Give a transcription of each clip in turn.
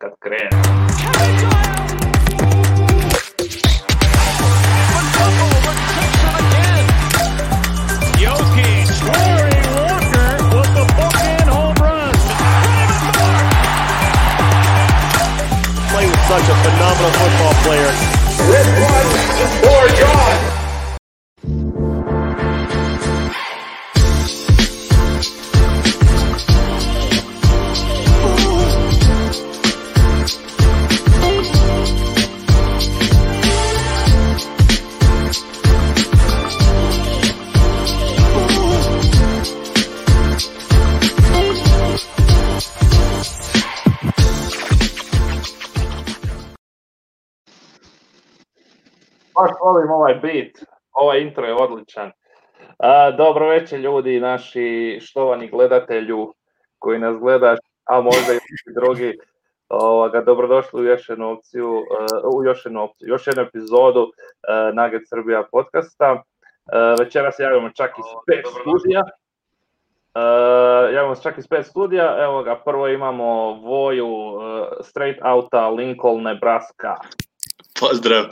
kad krene. Play with such a phenomenal football player. This one is for John. Baš volim ovaj beat, ovaj intro je odličan. Dobro večer ljudi, naši štovani gledatelju koji nas gledaš, a možda i drugi. Dobrodošli u još jednu epizodu Nugget Srbija podcasta. Večeras javimo čak iz 5 studija. Evo ga, prvo imamo Voju straight outa Lincoln, Nebraska. Pozdrav.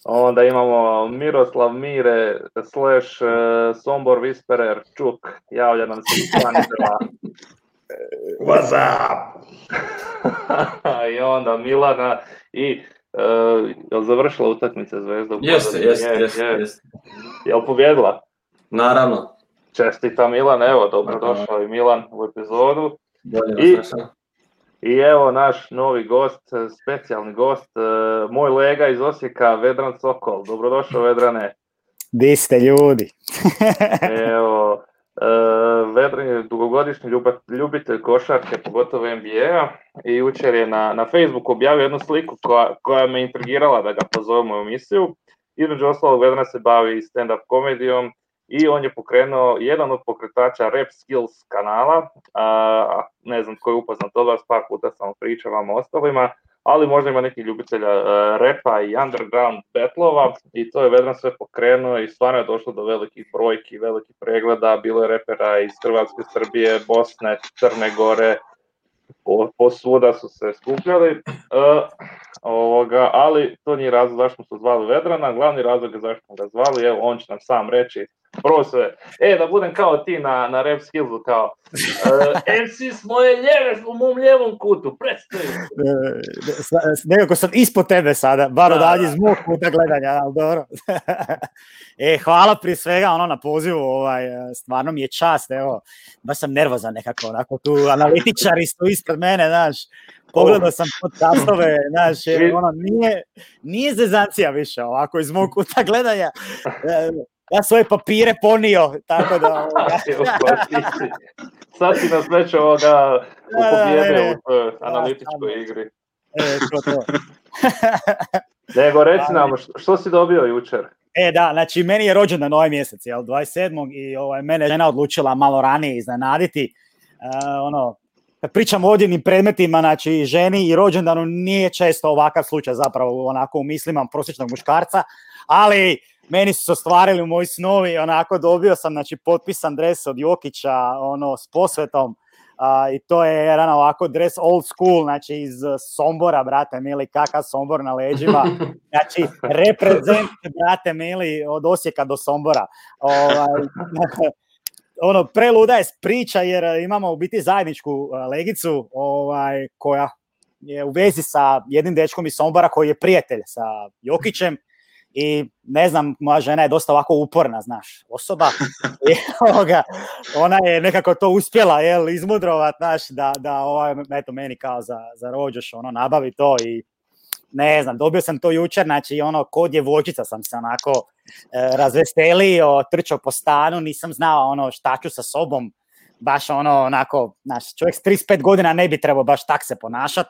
Onda imamo Miroslav Mire / Sombor Whisperer Čuk, javlja nam se iz Pančeva. What's up? I onda Milana i je završila utakmica Zvezda? Jeste. Jel pobjedila? Naravno. Čestita Milan, evo, dobrodošao i Milan u epizodu. Bolje. I evo naš novi gost, specijalni gost, moj lega iz Osijeka, Vedran Sokol. Dobrodošao, Vedrane. Di ste ljudi? Evo, Vedran je dugogodišnji ljubitelj košarke, pogotovo NBA-a, i jučer je na Facebooku objavio jednu sliku koja me intrigirala da ga pozovemo u emisiju. Između ostalog, Vedran se bavi stand-up komedijom i on je pokrenuo jedan od pokretača Rap Skills kanala. Ne znam tko je upoznat od vas, par puta sam pričao vam o ostalima, ali možda ima neki ljubitelja repa i underground battlova, i to je Vedran sve pokrenuo i stvarno je došlo do velikih brojki, velikih pregleda. Bilo je repera iz Hrvatske, Srbije, Bosne, Crne Gore, posvuda su se skupljali. Ali to nije razlog zašto smo se zvali Vedrana, glavni razlog je zašto smo ga zvali, evo on će nam sam reći. Prvo sve, da budem kao ti na Rap Skillsu, kao MC s moje ljeve, u mom ljevom kutu, predstavi. Nekako sam ispod tebe sada, bar odavdje iz mog kuta gledanja, ali dobro. Hvala prije svega na pozivu, stvarno mi je čast, evo, baš sam nervozan nekako, onako tu analitičari su ispred mene, znaš. Pogledao sam podcastove, znaš, nije zezancija više, ovako iz mog kuta gledanja. Ja svoje papire ponio, tako da... Sad si nas već pobjedio u toj analitičkoj igri. To. Nego, reci nam, što si dobio jučer? Da, znači, meni je rođendan ovaj mjesec, 27. i mene žena odlučila malo ranije iznenaditi. Kad pričam o odjevnim predmetima, znači ženi i rođendanu nije često ovakav slučaj zapravo onako u mislima prosječnog muškarca, ali meni su se ostvarili moji snovi, onako dobio sam znači potpisan dres od Jokića, s posvetom, i to je jedan ovako dres old school, znači iz Sombora, brate mili, kakav Sombor na leđima, znači reprezent, brate mili, od Osijeka do Sombora. Preluda je priča jer imamo u biti zajedničku legicu koja je u vezi sa jednim dečkom iz Sombora koji je prijatelj sa Jokićem i ne znam, moja žena je dosta ovako uporna, znaš, osoba i ona je nekako to uspjela izmudrovat, znaš, da eto meni kao za rođoš nabavi to i ne znam, dobio sam to jučer, znači ko djevojčica sam se onako razveselio, trčao po stanu, nisam znao šta ću sa sobom, baš onako, znaš, čovjek s 35 godina ne bi trebao baš tak se ponašati,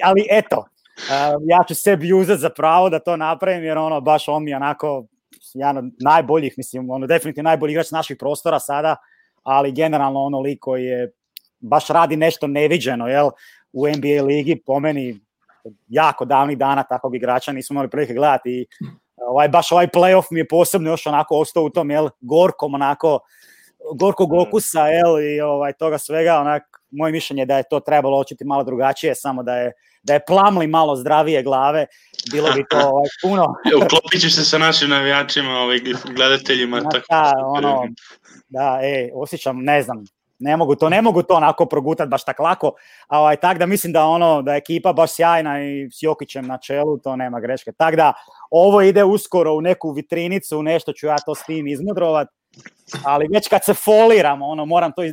ali eto, ja ću sebi uzeti za pravo da to napravim, jer baš on mi onako, jedan od najboljih, mislim, definitivno najbolji igrač naših prostora sada, ali generalno lik koji je, baš radi nešto neviđeno, u NBA ligi, po meni, jako davnih dana takvog igrača nismo imali prilike gledati i baš ovaj playoff mi je posebno još onako ostao u tom gorkom onako gorkog okusa i toga svega, onak moje mišljenje je da je to trebalo očiti malo drugačije, samo da je Plumlee malo zdravije glave, bilo bi to puno. Uklopit ćeš se sa našim navijačima, gledateljima. Osjećam, ne znam, ne mogu to onako progutati baš tak lako, a tak da mislim da je ekipa baš sjajna i s Jokićem na čelu, to nema greške. Tak da ovo ide uskoro u neku vitrinicu, nešto ću ja to s tim izmudrovat, ali već kad se foliram,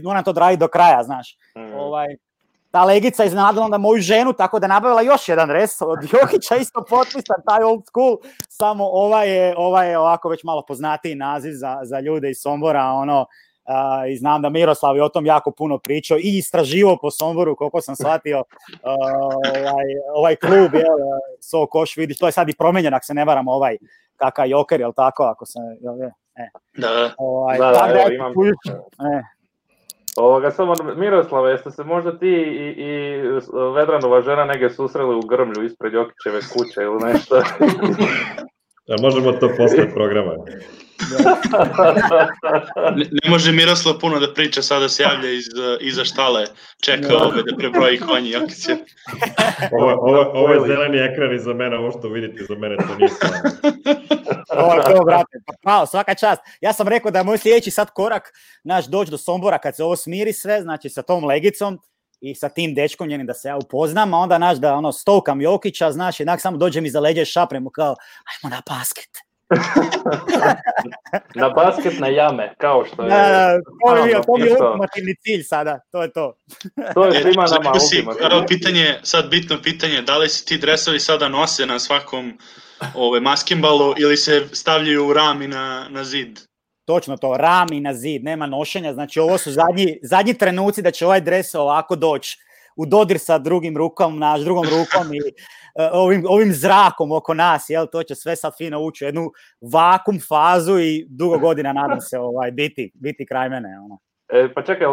moram to raditi do kraja, znaš. Ta legica iznenadila onda moju ženu, tako da nabavila još jedan dres od Jokića, isto potpisan, taj old school, samo ovaj je ovako već malo poznatiji naziv za ljude iz Sombora, i znam da Miroslav je o tom jako puno pričao i istraživao po Somboru, koliko sam shvatio, ovaj klub, So Koš, vidiš, to je sad i promijenjen, ako se ne varam, kakav Joker, jel tako, ako se, Da. Imam. Samo Miroslave, jeste se možda ti i Vedranova žena negdje susreli u grmlju ispred Jokićeve kuće ili nešto? Možemo to posle programa. Ne može Miroslav puno da priča, sada se javlja iza štale, čeka da prebroji konji Jokića. Ovo je zeleni ekran iza mene, ovo što vidite za mene, to nije stvarno. To, brate, pa svaka čast. Ja sam rekao da je moj sljedeći sad korak, doći do Sombora kad se ovo smiri sve, znači sa tom legicom i sa tim dečkom njenim da se ja upoznam, a onda da stovkam Jokića, znaš, jednak samo dođem iza leđa i šapnem mu kao, ajmo na basket. Na basket, na jame, kao što je... To je ultimativni cilj sada, to je to. To je svima nama ultimativni. Sad bitno pitanje, da li se ti dresovi sada nose na svakom maskenbalu ili se stavljaju u rami na zid? Točno to, rami na zid, nema nošenja, znači ovo su zadnji trenuci da će ovaj dres ovako doći u dodir sa drugom rukom i ovim zrakom oko nas, to će sve sad fino ući u jednu vakum fazu i dugo godina nadam se biti kraj mene. Pa čekaj,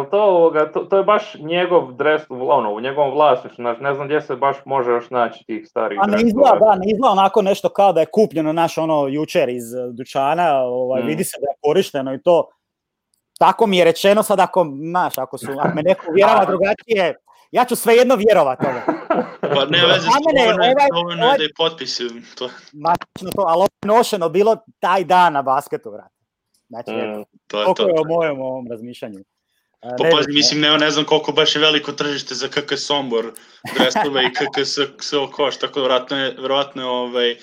to je baš njegov dres u njegovom vlasništvu, ne znam gdje se baš može još naći tih starih dresova. Ne izgleda onako nešto kao da je kupljeno jučer iz dućana, vidi se da je korišteno i to. Tako mi je rečeno sad, ako me neko uvjerava drugačije, ja ću svejedno vjerovat toga. Pa ne veze, dovoljno je da je potpisujem to. Ali ovo je nošeno bilo taj dan na basketu, vrat. Znači, koliko je o mojem razmišljanju. Pazi, mislim, ne znam koliko baš je veliko tržište za KK Sombor dresove i KK SO Koš, tako verovatno je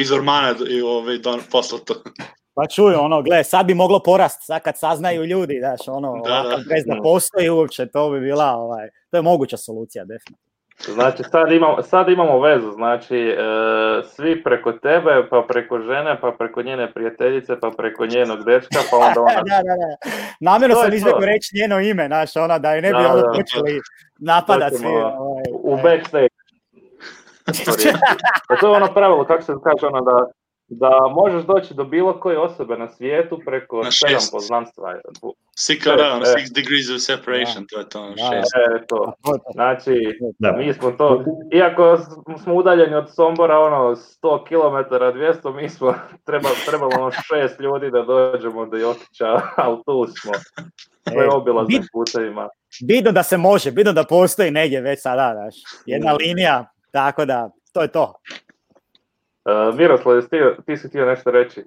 iz Ormana poslato. Pa čuju, gle, sad bi moglo porast, sad kad saznaju ljudi, znaš, bez da postoji uopće, to bi bila, to je moguća solucija, definitivno. Znači, sad imamo vezu, znači, svi preko tebe, pa preko žene, pa preko njene prijateljice, pa preko njenog dečka, pa onda ona... Da. Namjerno sam izvekao reći njeno ime, znaš, da je ne bi počeli napadati svi. U backstage. To je pravilo, kako se kaže, da možeš doći do bilo koje osobe na svijetu preko 7 poznanstva. 6 degrees of separation, to je to. 6. Znači, mi smo to, iako smo udaljeni od Sombora, 100 km, 200, mi smo trebalo 6 ljudi da dođemo do Jokića, ali tu smo. Sve obilaznim putevima. Bitno da se može, bitno da postoji negdje već sada, znaš, jedna linija, tako da, to je to. Miroslav, ti si htio nešto reći?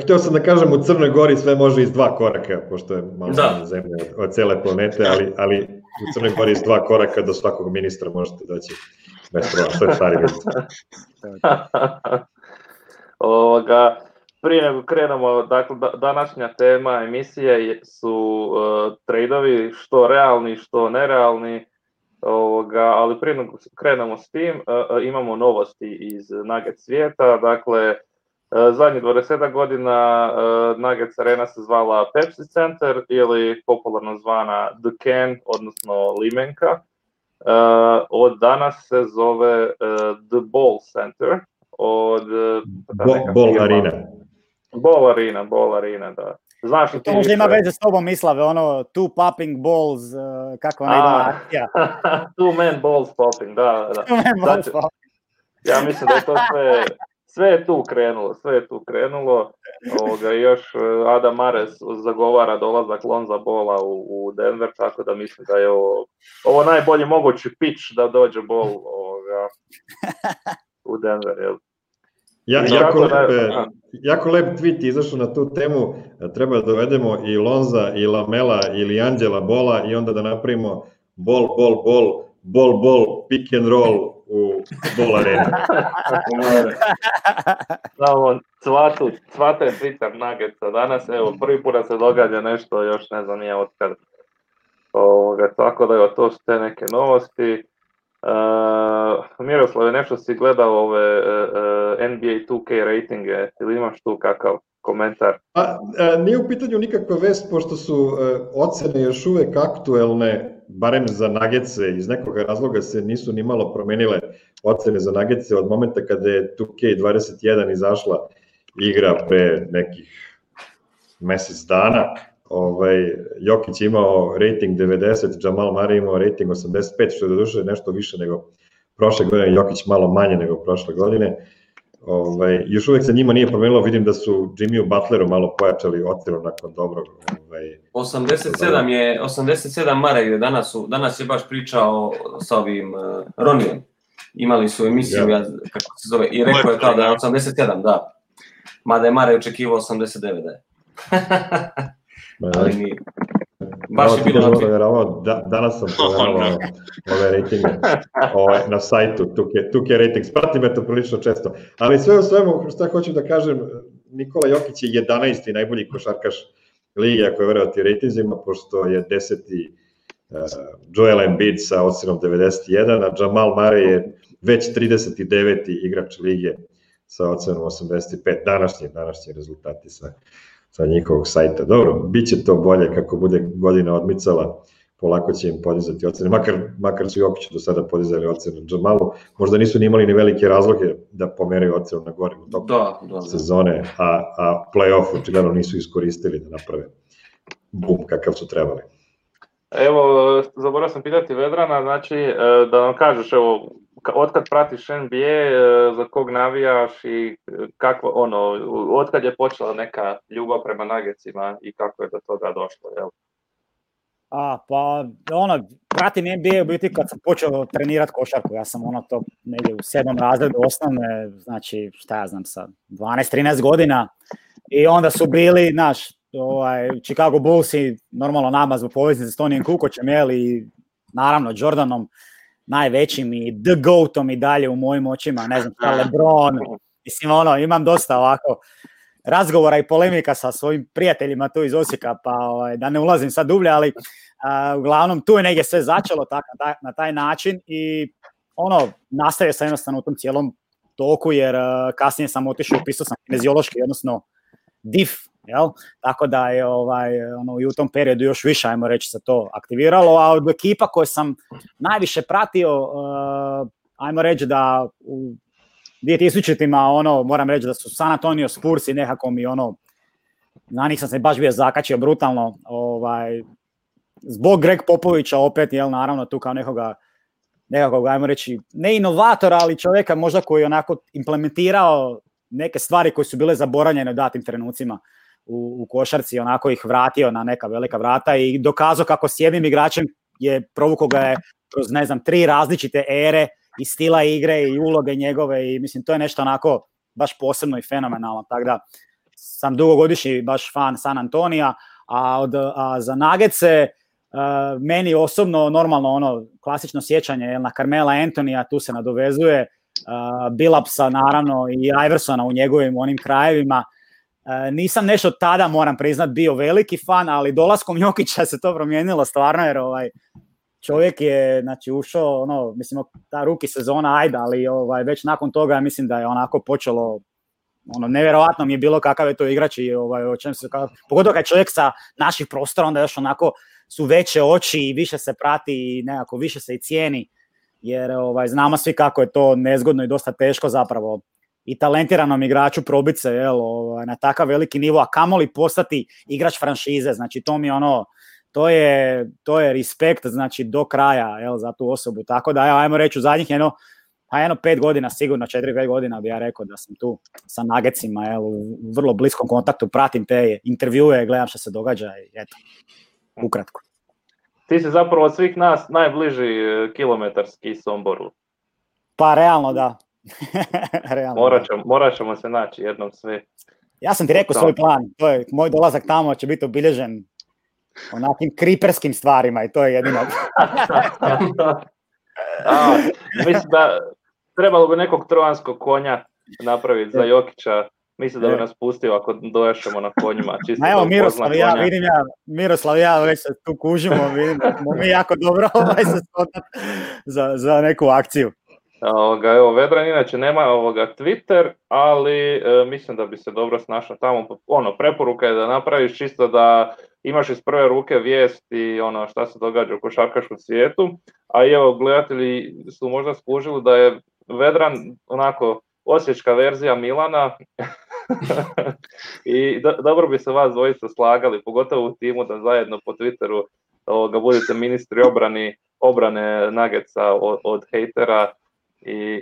Htio sam da kažem, u Crnoj Gori sve može iz 2 koraka, pošto je malo zemlja od cele planete, ali u Crnoj Gori iz 2 koraka do svakog ministra možete doći bez problema, što je stari ministar. Prije nego krenemo, dakle, današnja tema emisije su trejdovi, što realni, što nerealni. Ali prije nego krenemo s tim, imamo novosti iz Nuggets svijeta. Dakle, zadnjih 20 godina Nuggets arena se zvala Pepsi Center ili popularno zvana The Can, odnosno Limenka. Od danas se zove The Ball Center. Ball Arena, da. Znaš to možda ima veze s tobom, Mislave, two popping balls, kako ona ide akcija. Two man balls popping, da. Ja mislim da je to sve je tu krenulo. Još Adam Mares zagovara dolazak Lonza Balla u Denver, tako da mislim da je ovo najbolji mogući pitch da dođe Ball u Denver, jel? Jako lep tweet izašao na tu temu, treba da dovedemo i Lonza i Lamela ili Anđela Bola i onda da napravimo ball, pick and roll u Ball arena. Samo cvate Twitter Nuggetsa danas, evo prvi put da se događa nešto, još ne znam nije otkad. Tako da to su te neke novosti. Miroslave, nešto si gledao ove NBA 2K ratinge, ili imaš tu kakav komentar? Nije u pitanju nikakva vest, pošto su ocene još uvek aktuelne, barem za Nuggetse, iz nekog razloga se nisu ni malo promenile ocene za Nuggetse od momenta kada je 2K21 izašla igra pre nekih mesec dana. Jokić imao rating 90, Jamal Murray imao rating 85, što je doduše nešto više nego prošle godine, Jokić malo manje nego prošle godine. Još uvek se njima nije promenilo, vidim da su Jimmyu Butleru malo pojačali ocenu nakon dobrog. 87 Murray, danas je baš pričao sa ovim Ronijem, imali su emisiju, kako se zove, i rekao je kao da je 87, da. Mada je Murray očekivao 89, da je. Ali nije. Baš je bilo danas sam provjeravao ove ratinge na sajtu 2K Ratings, pratim to prilično često, ali sve u svemu što hoću da kažem, Nikola Jokić je 11. najbolji košarkaš lige ako je verovati ratingzima, pošto je 10. Joel Embiid sa ocenom 91, a Jamal Murray je već 39. igrač lige sa ocenom 85, današnji rezultati sa njihovog sajta. Dobro, bit će to bolje kako bude godina odmicala, polako će im podizati ocene, makar su Jokiću do sada podizali ocene Jamalu, možda nisu ni imali ni velike razloge da pomeraju ocenu na gore u toku sezone, a play-off očigledno nisu iskoristili da naprave bum kakav su trebali. Evo, zaboravio sam pitati Vedrana, znači da nam kažeš, evo, otkad pratiš NBA, za kog navijaš i kako, otkad je počela neka ljubav prema Nuggetsima i kako je do toga došlo, jel? Pratim NBA u biti kad sam počeo trenirati košarku, ja sam to negdje u 7. razredu osnovne, znači šta ja znam sa 12-13 godina i onda su bili, Chicago Bullsi, normalno nama zbog poveznice s Tonijem Kukoćem, i naravno Jordanom, najvećim i The Goatom i dalje u mojim očima, ne znam šta, LeBron, mislim imam dosta ovako razgovora i polemika sa svojim prijateljima tu iz Osijeka, pa da ne ulazim sad dublje, ali uglavnom tu je negdje sve začelo na taj način i nastavio sam jednostavno u tom cijelom toku, jer kasnije sam otišao, upisao sam kineziološki, odnosno DIF, jel? Tako da je i u tom periodu još više, ajmo reći, se to aktiviralo, a od ekipa koje sam najviše pratio, ajmo reći da u 2000-ima, moram reći da su San Antonio Spurs i nekako mi na njih sam se baš bio zakačio brutalno, zbog Greg Popovića opet, jel, naravno tu kao nekakvog, ajmo reći, ne inovatora, ali čovjeka možda koji je onako implementirao neke stvari koje su bile zaboravljene u datim trenucima u košarci, onako ih vratio na neka velika vrata i dokazao kako s jednim igračem je provukao ga je kroz, 3 različite ere i stila igre i uloge njegove i mislim to je nešto onako baš posebno i fenomenalno, tako da sam dugogodišnji baš fan San Antonija, a za Nuggetse meni osobno normalno klasično sjećanje na Carmela Anthonyja, tu se nadovezuje, Billupsa naravno i Iversona u njegovim onim krajevima. Nisam nešto tada, moram priznat, bio veliki fan, ali dolaskom Jokića se to promijenilo stvarno, jer čovjek je ušao, mislim, ta rookie sezona, ajde, ali već nakon toga mislim da je onako počelo, nevjerojatno mi je bilo kakav je to igrač i o čem se, pogotovo kad čovjek sa naših prostora, onda još onako su veće oči i više se prati i nekako više se i cijeni, jer znamo svi kako je to nezgodno i dosta teško zapravo i talentiranom igraču probit se na takav veliki nivo, a kamoli postati igrač franšize, znači to mi to je respekt, znači do kraja za tu osobu, tako da ajmo reći u zadnjih pa 5 godina sigurno, 4-5 godina bi ja rekao da sam tu sa Nuggetsima, u vrlo bliskom kontaktu, pratim te intervjue, gledam što se događa i eto, ukratko. Ti si zapravo od svih nas najbliži kilometarski Somboru. Pa realno da. Morat ćemo se naći jednom sve. Ja sam ti rekao svoj plan, to je, moj dolazak tamo će biti obilježen onakim kriperskim stvarima i to je jedino. Mislim da trebalo bi nekog trojanskog konja napraviti za Jokića. Mislim da bi nas pustio ako dojašemo na konjima. Evo Miroslav i ja već se tu kužimo, vidimo mi jako dobro se spoznat za neku akciju. Evo, Vedran inače nema Twitter, ali mislim da bi se dobro snašao tamo. Preporuka je da napraviš čisto da imaš iz prve ruke vijesti šta se događa u košarkaškom svijetu, a evo gledatelji su možda skužili da je Vedran onako osječka verzija Milana i dobro bi se vas dvojica slagali, pogotovo u timu da zajedno po Twitteru budete ministri obrane Nuggetsa od hejtera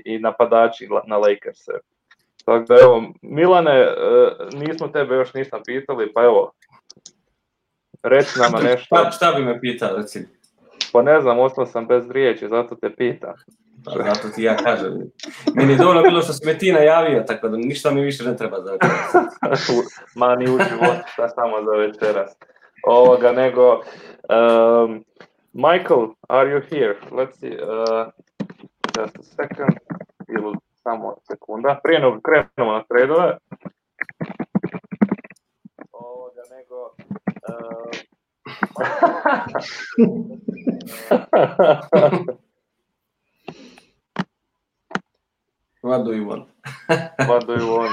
i napadači na Lakerse. Tako da evo, Milane, nismo tebe još ništa pitali, pa evo, reci nama nešto. Šta bi me pitao, recimo? Pa ne znam, ostao sam bez riječi, zato te pitam. Pa zato ti ja kažem. Meni je dovoljno bilo što si me ti najavio, tako da ništa mi više ne treba za večeras. Ma ni u životu, šta samo za večeras. Nego, Michael, are you here? Let's see, just a second, ili samo sekunda. Prije nego krenemo na tradove. Nego... What do you want? What do you want?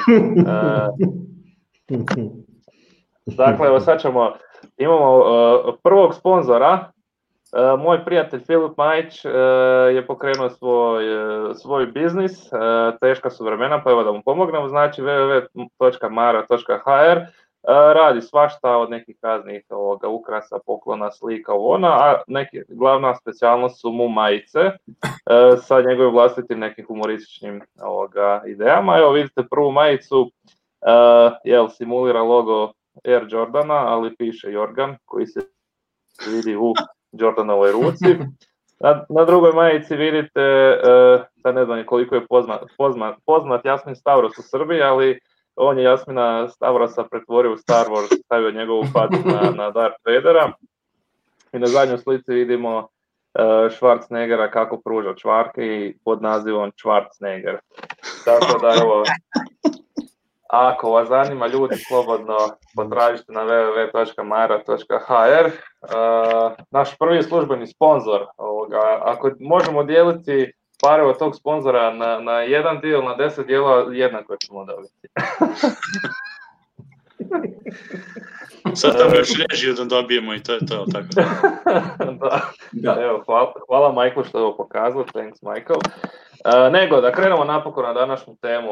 Dakle, evo sad imamo prvog sponzora. Moj prijatelj Filip Majić je pokrenuo svoj biznis, teška su vremena, pa evo da mu pomognemo, znači www.mara.hr. Radi svašta od nekih raznih ukrasa, poklona, slika, a glavna specijalnost su mu majice sa njegovim vlastitim nekim humorističnim idejama. Evo vidite prvu majicu, simulira logo Air Jordana, ali piše Jorgan koji se vidi u Jordanovoj ruci. Na drugoj majici vidite, da ne znam koliko je poznat Jasmin Stavros u Srbiji, ali on je Jasmina Stavrosa pretvorio u Star Wars, stavio njegovu facu na Darth Vadera. I na zadnjoj slici vidimo Schwarzeneggera kako pruža čvarke i pod nazivom Schwarzenegger. Tako da evo, ako vas zanima ljudi, slobodno potražite na www.mara.hr. Naš prvi službeni sponzor, ako možemo dijeliti pare od tog sponzora na jedan dio, na 10 dijela, jednako ćemo dobiti. Sad tamo još režiju da dobijemo i to je to, tako da. Evo, hvala Michael što je ovo pokazao, thanks Michael. Nego, da krenemo napokon na današnju temu.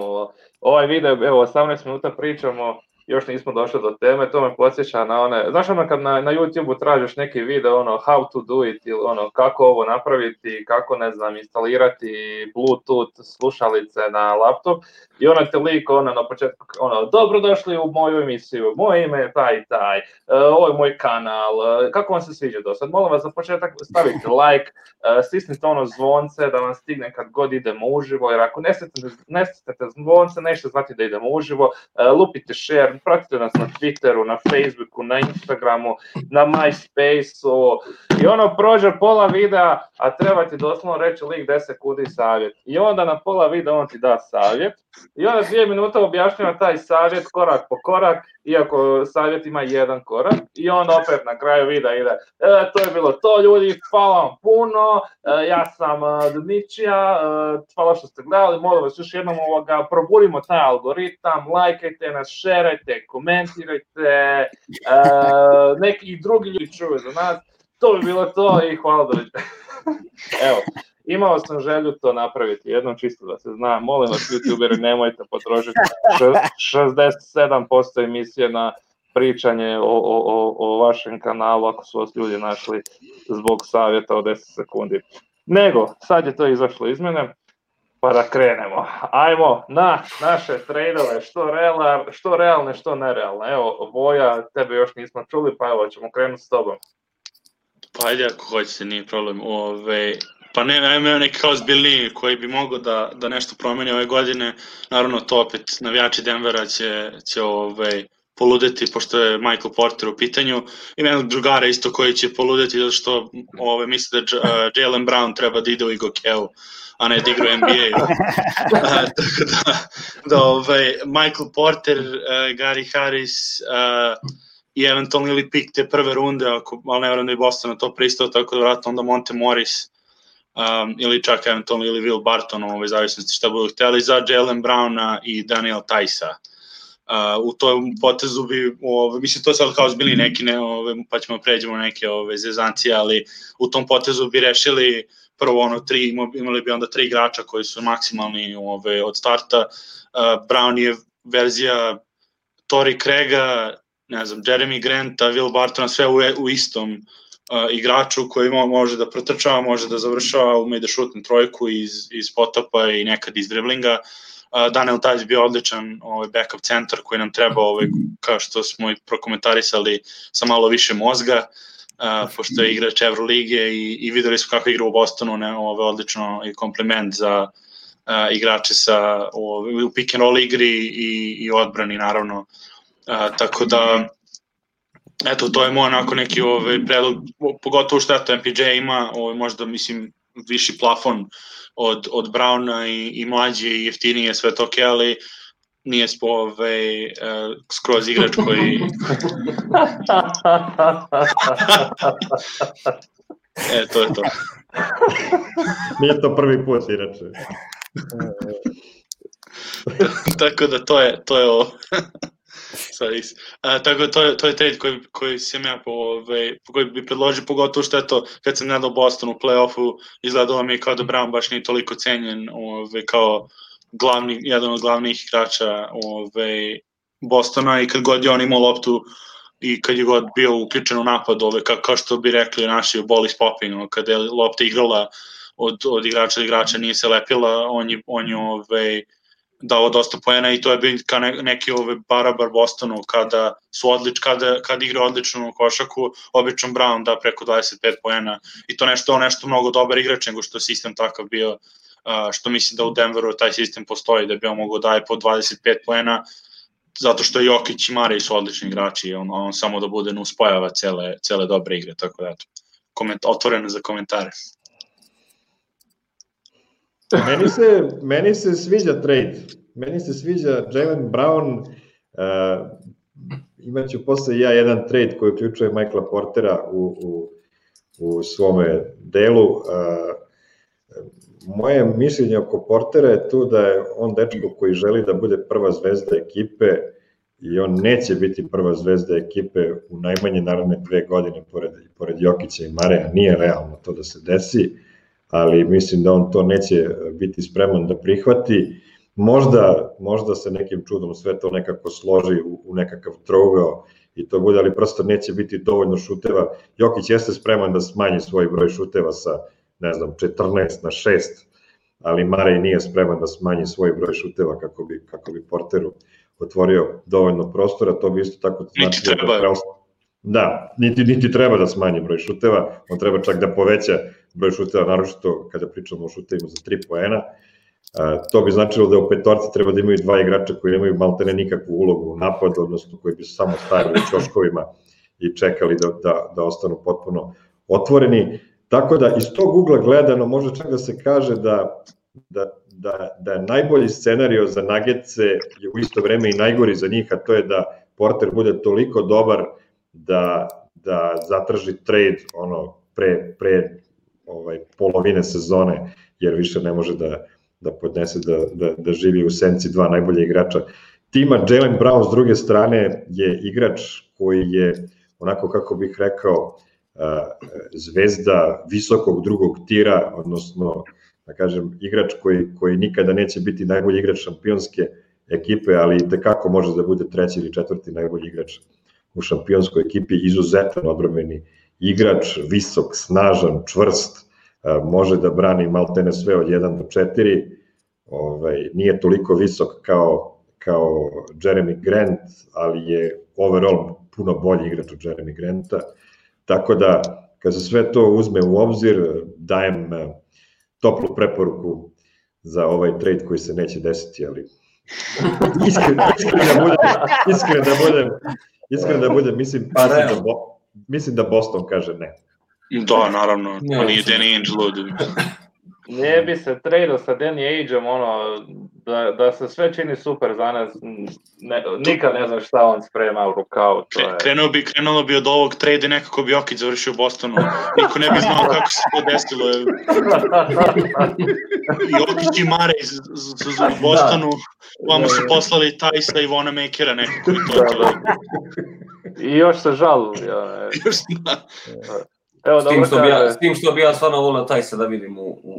Ovaj video, evo, 18 minuta pričamo, još nismo došli do teme, to me podsjeća na one, znaš kad na YouTube-u tražiš neki video, how to do it, ili kako ovo napraviti, kako, ne znam, instalirati Bluetooth slušalice na laptop, i te lik, na početku, dobrodošli u moju emisiju, moje ime je taj i taj, ovo je moj kanal, kako vam se sviđa do sad, molim vas za početak stavite like, stisnite zvonce da vam stigne kad god idemo uživo, jer ako ne stisnete zvonce, nećete znati da idemo uživo, lupite share, pratite nas na Twitteru, na Facebooku, na Instagramu, na MySpaceu i prođe pola videa, a treba ti doslovno reći lik 10 sekundi savjet. I onda na pola videa on ti da savjet i onda 2 minuta objašnjava taj savjet korak po korak, iako savjet ima jedan korak, i onda opet na kraju videa ide, to je bilo to ljudi, hvala vam puno, ja sam Dmitrija, hvala što ste gledali, molim vas još jednom probudimo taj algoritam, lajkajte nas, šerajte, komentirajte, neki drugi ljudi čuju za nas, to bi bilo to i hvala doviđenja. Evo, imao sam želju to napraviti jednom, čisto da se zna, molim vas youtuberi, nemojte potrošiti 67% emisije na pričanje o vašem kanalu ako su vas ljudi našli zbog savjeta od 10 sekundi. Nego, sad je to izašlo izmjene, Pa da krenemo. Ajmo na naše trejdove, što realne, što nerealne. Evo, Voja, tebe još nismo čuli, pa evo, ćemo krenuti s tobom. Pa ajde ako hoćete, nije problem. Pa ne, imaju neki kao zbiljniji koji bi mogao da nešto promeni ove godine. Naravno, to opet navijači Denvera će poludeti, pošto je Michael Porter u pitanju. Ima jednog drugara isto koji će poludeti, zato što misle da Jaylen Brown treba da ide u Igokeu, a ne da igra u NBA-u. Tako da Michael Porter, Gary Harris i eventualno ili pik te prve runde, ali ne vjerujem da je Boston na to pristao, tako da vratno onda Monte Morris ili čak eventualno ili Will Barton, zavisnosti šta budu htjeli, za Jaylen Browna i Daniel Tajsa. U tom potezu bi, mislim to je sad kao zbili neki, pa ćemo pređemo neke zezancije, ali u tom potezu bi rešili prvo imali bi onda 3 igrača koji su maksimalni od starta. Brown je verzija Torrey Craiga, ne znam, Jeremy Granta, Will Bartona, sve u istom igraču koji može da protrčava, može da završava, ume da šutne trojku iz potopa i nekad iz driblinga. Daniel Tajs bio odličan backup centar koji nam treba, kao što smo i prokomentarisali, sa malo više mozga, pošto je igrač Evrolige i videli smo kako igra u Bostonu, odlično i kompliment za igrače u pick and roll igri i odbrani naravno. Tako da, eto, to je moj onako neki predlog, pogotovo što eto MPJ ima, možda mislim viši plafon od Browna i mlađe i jeftinije, sve to okej, ali nije skroz igrač koji... To je to. Nije to prvi put, inače. Tako da to je ovo. Tako to je trade koji sam ja koji bi predložio, pogotovo što eto kad sam gledao Boston u play-offu, izgledalo mi kao da Brown baš nije toliko cenjen kao jedan od glavnih igrača Bostona, i kad god je on imao loptu i kad je god bio uključen u napad, kao što bi rekli naši ball is popping, kada je lopta igrala od igrača do igrača, nije se lepila, on je dao dosta poena i to je bio kao neki barabar Bostonu kada igra odličnu košaku, obično Brown da preko 25 poena i to nešto mnogo dobar igrač nego što je sistem takav bio, što mislim da u Denveru taj sistem postoji, da bi on mogao daje po 25 poena, zato što Jokić i Murray su odlični igrači, on samo da bude nuspojava cele dobre igre, tako da eto, otvoreno za komentare. Meni se sviđa trade. Meni se sviđa Jaylen Brown. Imaću posle ja jedan trade koji uključuje Michaela Portera u svome delu. Moje mišljenje oko Portera je tu da je on dečko koji želi da bude prva zvezda ekipe i on neće biti prva zvezda ekipe u najmanje naravne 2 godine pored Jokića i Mareja. Nije realno to da se desi, ali mislim da on to neće biti spreman da prihvati. Možda se nekim čudom sve to nekako složi u nekakav trougao i to bude, ali prosto neće biti dovoljno šuteva. Jokić jeste spreman da smanji svoj broj šuteva sa, ne znam, 14 na 6, ali Marej nije spreman da smanji svoj broj šuteva kako bi Porteru otvorio dovoljno prostora. To bi isto tako znači da niti treba da smanji broj šuteva, on treba čak da poveća broj šuteva, naročito kada pričamo o šutevima za 3 poena. To bi značilo da u petorci treba da imaju 2 igrača koji nemaju maltene nikakvu ulogu u napadu, odnosno koji bi samo stajali u ćoškovima i čekali da ostanu potpuno otvoreni. Tako da iz tog ugla gledano može čak da se kaže da je najbolji scenario za Nuggetse je u isto vreme i najgori za njih, a to je da Porter bude toliko dobar da zatraži trade pre polovine sezone, jer više ne može da podnese da živi u senci 2 najbolje igrača tima. Jaylen Brown s druge strane je igrač koji je, onako kako bih rekao, zvezda visokog drugog tira, odnosno da kažem igrač koji nikada neće biti najbolji igrač šampionske ekipe, ali i tekako može da bude 3. ili 4. najbolji igrač u šampionskoj ekipi, izuzetan odbrambeni igrač, visok, snažan, čvrst, može da brani maltene sve od 1 do 4, nije toliko visok kao Jeremy Grant, ali je overall puno bolji igrač od Jeremy Granta, tako da kad se sve to uzme u obzir, dajem toplu preporuku za ovaj trade koji se neće desiti, ali iskren da budem, mislim da Boston kaže ne. Da, naravno, on nije Danny Ainge lud. Ne bi se tradeo sa Danny Aingeom, da se sve čini super za nas, nikad ne znam šta on sprema u rukavu. Krenulo bi od ovog trade i nekako bi Jokić završio u Bostonu. Niko ne bi znao kako se to desilo. Jokić i Murray u Bostonu, vamo su poslali Tajsa i Vonamakera nekako i to. I još se žalili. Evo, s tim što bi ja stvarno volio Tajsa da vidim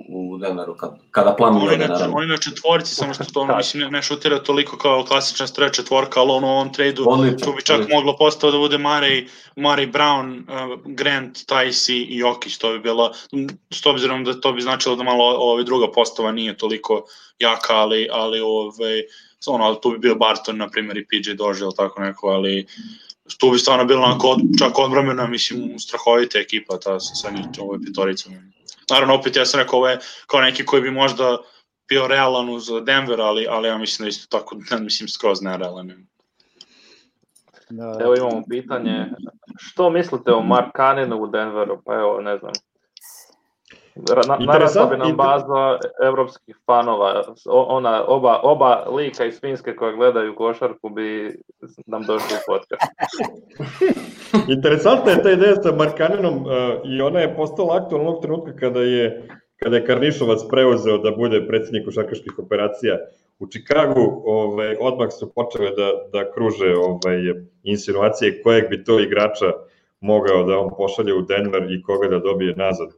u Denveru kada planuje. On ima četvorci, samo što to mislim ne šutira toliko kao klasična stretch četvorka, ali on u ovom tradu tu bi čak moglo postao da bude Murray, Brown, Grant, Tajs i Jokić, to bi bilo, s obzirom da to bi značilo da malo druga postava nije toliko jaka, ali tu bi bio Barton, na primjer, i PJ Dozier ili tako neko, ali tu bi stvarno bilo onako čak odbrambena, mislim, strahovita ekipa ta sa njih petoricom. Naravno, opet ja sam rekao, ovo je kao neki koji bi možda bio realan uz Denver, ali ja mislim da isto tako, mislim, skroz nerealan. Evo imamo pitanje, što mislite o Markkanenu u Denveru? Pa evo, ne znam. Narasla bi nam baza evropskih fanova, oba lika iz Finske koja gledaju košarku bi nam došli u podcast. Interesantna je ta ideja sa Markkanenom i ona je postala aktualna onog trenutka kada je Karnišovac preuzeo da bude predsjednik košarkaških operacija u Čikagu. Odmah su počele da kruže insinuacije kojeg bi to igrača mogao da on pošalje u Denver i koga da dobije nazad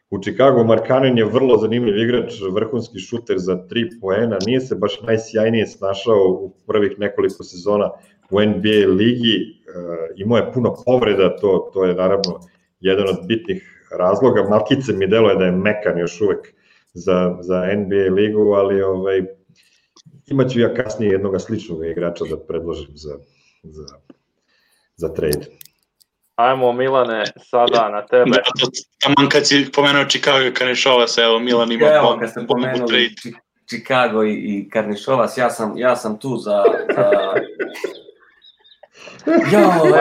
u Čikagu. Markkanen je vrlo zanimljiv igrač, vrhunski šuter za 3 poena, nije se baš najsjajnije snašao u prvih nekoliko sezona u NBA ligi, imao je puno povreda, to je naravno jedan od bitnih razloga. Malkice mi deluje da je mekan još uvek za NBA ligu, ali imaću ja kasnije jednog sličnog igrača da predložim za trade. Ajmo, Milane, sada na tebe. Taman kad si pomenuo Chicago i Karnišovas, evo Milan ima bombu. Kad ste pomenuli Chicago i Karnišovas, ja sam tu za...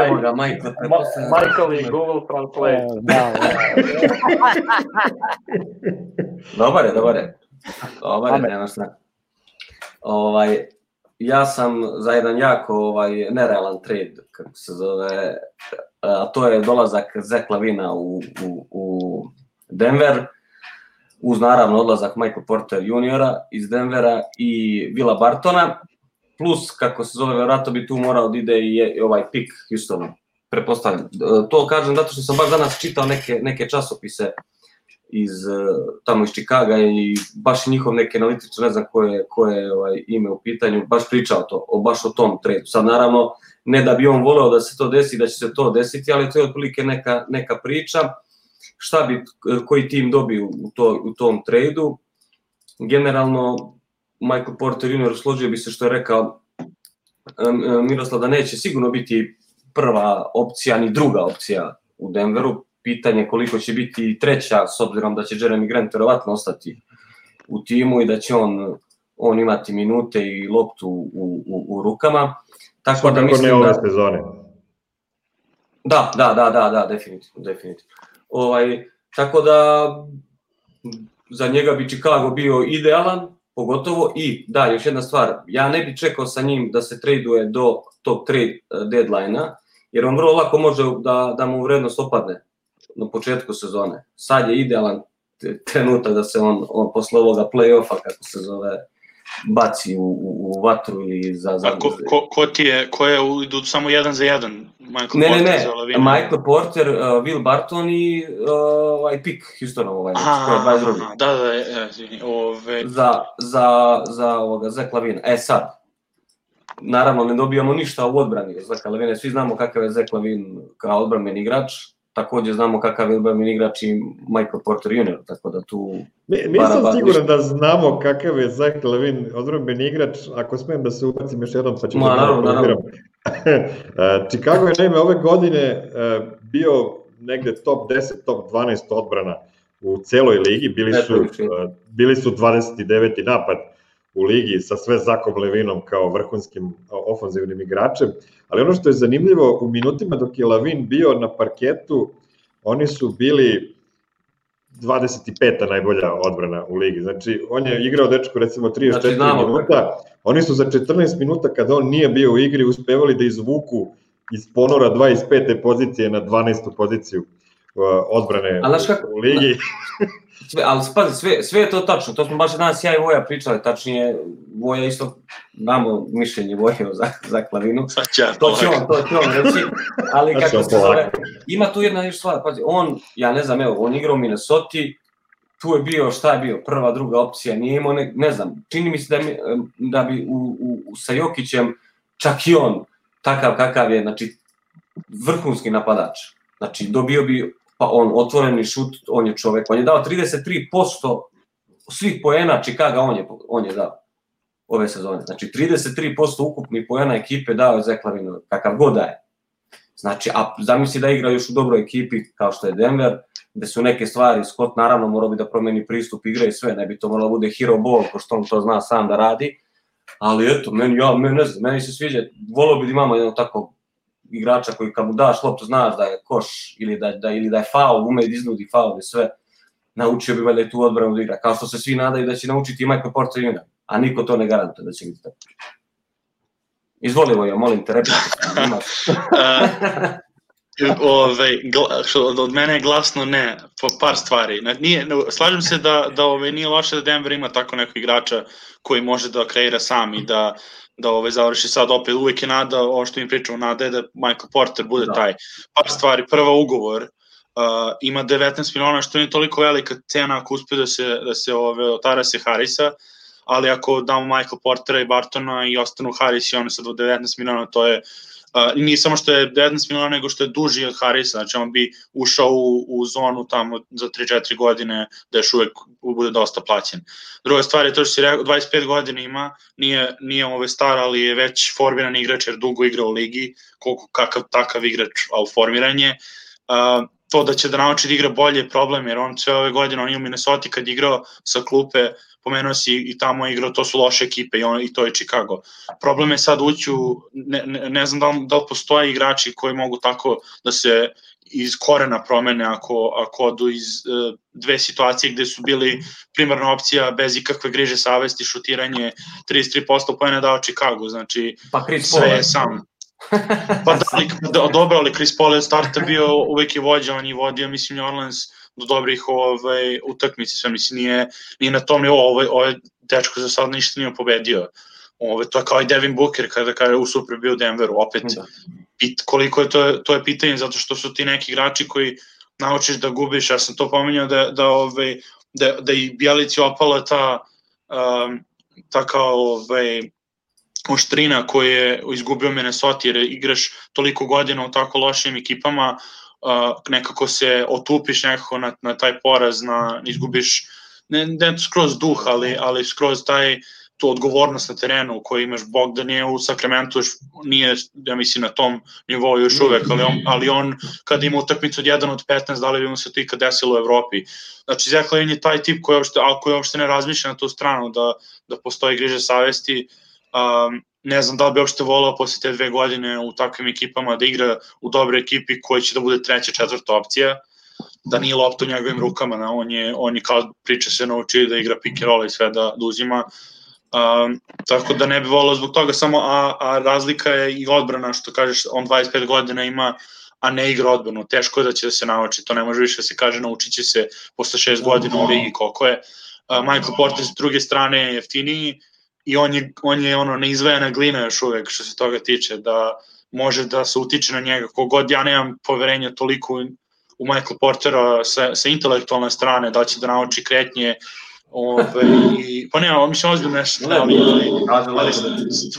Evo ga, Michael i Google Translate. Dobar je, nema šta. Ja sam za jedan jako nerealan trade, kako se zove, a to je dolazak Zach Lavina u Denver, uz naravno odlazak Michael Porter juniora iz Denvera i Willa Bartona, plus, kako se zove, vjerojatno bi tu morao da ide i ovaj pick Houstonu, pretpostavljam. To kažem zato što sam baš danas čitao neke časopise tamo iz Chicaga i baš njihov neki analitičar, ne znam koje je ime u pitanju, baš pričao baš o tom tradu. Sad naravno, ne da bi on voleo da se to desi, da će se to desiti, ali to je otprilike neka priča. Šta bi koji tim dobio u tom tradu? Generalno, Michael Porter Jr. složio bi se što je rekao Miroslav da neće sigurno biti prva opcija ni druga opcija u Denveru. Pitanje koliko će biti treća, s obzirom da će Jeremy Grant verovatno ostati u timu i da će on imati minute i loptu u rukama. Tako da mislim ne ove sezone. Da, definitivno. Tako da za njega bi Chicago bio idealan, pogotovo i da, još jedna stvar, ja ne bi čekao sa njim da se traduje do tog trade deadline-a, jer on vrlo lako može da mu vrednost opadne na početku sezone. Sad je idealan trenutak da se on posle ovoga play-offa, kako se zove, baci u vatru ili za... Ko je idu samo 1 za 1? Michael Porter, Will Barton i pick Houstonov, koji je 22. Za Zach Lavina. Sad, naravno ne dobijamo ništa u odbrani Zach Lavina, svi znamo kakav je Zach Lavin kao odbranbeni igrač, također znamo kakav je odbrambeni igrač i Michael Porter Jr., tako da tu... Nisam siguran da znamo kakav je Zach LaVine odbrambeni igrač, ako smijem da se ubacim još jednom, pa ću da naravno. Chicago je naime ove godine bio negde top 10, top 12 odbrana u celoj ligi, bili su 29. napad u ligi sa sve Zachom LaVinom kao vrhunskim ofanzivnim igračem, ali ono što je zanimljivo, u minutima dok je LaVine bio na parketu, oni su bili 25. najbolja odbrana u ligi, znači on je igrao dečko recimo 34 minuta, oni su za 14 minuta kada on nije bio u igri uspevali da izvuku iz ponora 25. pozicije na 12. poziciju odbrane u ligi. Ali pazi, sve je to tačno, to smo baš danas ja i Voja pričali, tačnije Voja isto damo mišljenje Voje za LaVinu, to će on reći, ali kako se zove, ima tu jedna još stvar, pazi, ja ne znam, on igrao u Minnesota, tu je bio, šta je bio, prva, druga opcija, nije imao, ne znam, čini mi se da bi sa Jokićem, čak i on, takav kakav je, znači, vrhunski napadač, znači, dobio bi pa on otvoreni šut, on je čovek, on je dao 33% svih poena Chicaga, on je dao ove sezone. Znači 33% ukupnih poena ekipe dao je Zach LaVine, kakav god daje. Znači, a zamisli da igra još u dobroj ekipi kao što je Denver, gde su neke stvari, Scott naravno morao bi da promeni pristup igre i sve, ne bi to moralo bude hero ball, ko što on to zna sam da radi, ali eto, meni se sviđa, volio bi da imamo jedno tako igrača koji kad mu daš loptu znaš da je koš ili da je faul, ume da iznudi faul i sve, naučio bi valjda i tu odbranu da igra, kao što se svi nadaju da će naučiti i Michael Porter Jr., a niko to ne garantuje da će biti tako. Izvoli Voja, molim te, replika. Od mene je glasno ne, po par stvari. Slažem se da nije loše da Denver ima tako nekog igrača koji može da kreira sam i da završi sad opet, uvijek je nada, ovo što mi pričamo, nada je da Michael Porter bude taj. Par stvari, prva ugovor, ima 19 miliona, što nije toliko velika cena ako uspe da se otara se Harrisa, ali ako damo Michael Portera i Bartona i ostanu Harris i ono sad od 19 miliona, to je nije samo što je 19 miliona, nego što je duži od Harrisa, znači on bi ušao u zonu tamo za 3-4 godine da još uvek bude dosta plaćen. Druga stvar je to što si rekao, 25 godina ima, nije star, ali je već formiran igrač jer dugo igra u ligi, kakav takav igrač, ali formiran je. To da će da nauči da igra bolje je problem, jer on sve ove godine, on je u Minnesota kad igrao sa klupe, pomenuo si i tamo igrao, to su loše ekipe i to je Chicago. Problem je sad ući ne znam da li postoje igrači koji mogu tako da se iz korena promene ako odu iz dve situacije gde su bili primarna opcija bez ikakve griže savesti, šutiranje, 33% poena dao Chicago, znači sve je sam. Pa dobro, ali Chris Paul je starta bio, uvek je vođa, on je vodio, mislim, New Orleans do dobrih utakmici, sve mislim, nije na tom nivou, ovaj dečko za sad ništa nije pobedio. To je kao i Devin Booker kada u Super bio u Denveru, opet koliko je to je pitanje, zato što su ti neki igrači koji naučiš da gubiš, ja sam to pominjao da i Bjelici opala ta kao oštrina koju je izgubio Minnesota, jer igraš toliko godina u tako lošim ekipama, nekako se otupiš nekako na taj poraz, izgubiš ne skroz duh, ali skroz tu odgovornost na terenu koju imaš. Bogdan je u Sacramento, nije, ja mislim, na tom nivou još uvek, ali on kada ima utakmicu od 1 od 15, da li bi mu se to ikad desilo u Evropi. Znači, Zach LaVine je taj tip koji uopšte ne razmišlja na tu stranu, da postoji griže savesti. Ne znam da li bi uopšte volao posle te 2 godine u takvim ekipama da igra u dobre ekipi koji će da bude 3. 4. opcija, da nije lopta u njegovim rukama, on je kao priča se naučio da igra pick and roll i sve da uzima, tako da ne bi volao zbog toga samo, a razlika je i odbrana, što kažeš, on 25 godina ima, a ne igra odbranu, teško je da će da se nauči, to ne može više da se kaže, naučit će se posle 6 godina u ligi koliko je. Michael Porter s druge strane je jeftiniji, i on je neizvajana glina još uvek što se toga tiče, da može da se utiče na njega. Kogod ja nemam poverenja toliko u Michael Portera sa intelektualne strane, da će da nauči kretnje, pa nema, mislim, ozbiljno nešto, ali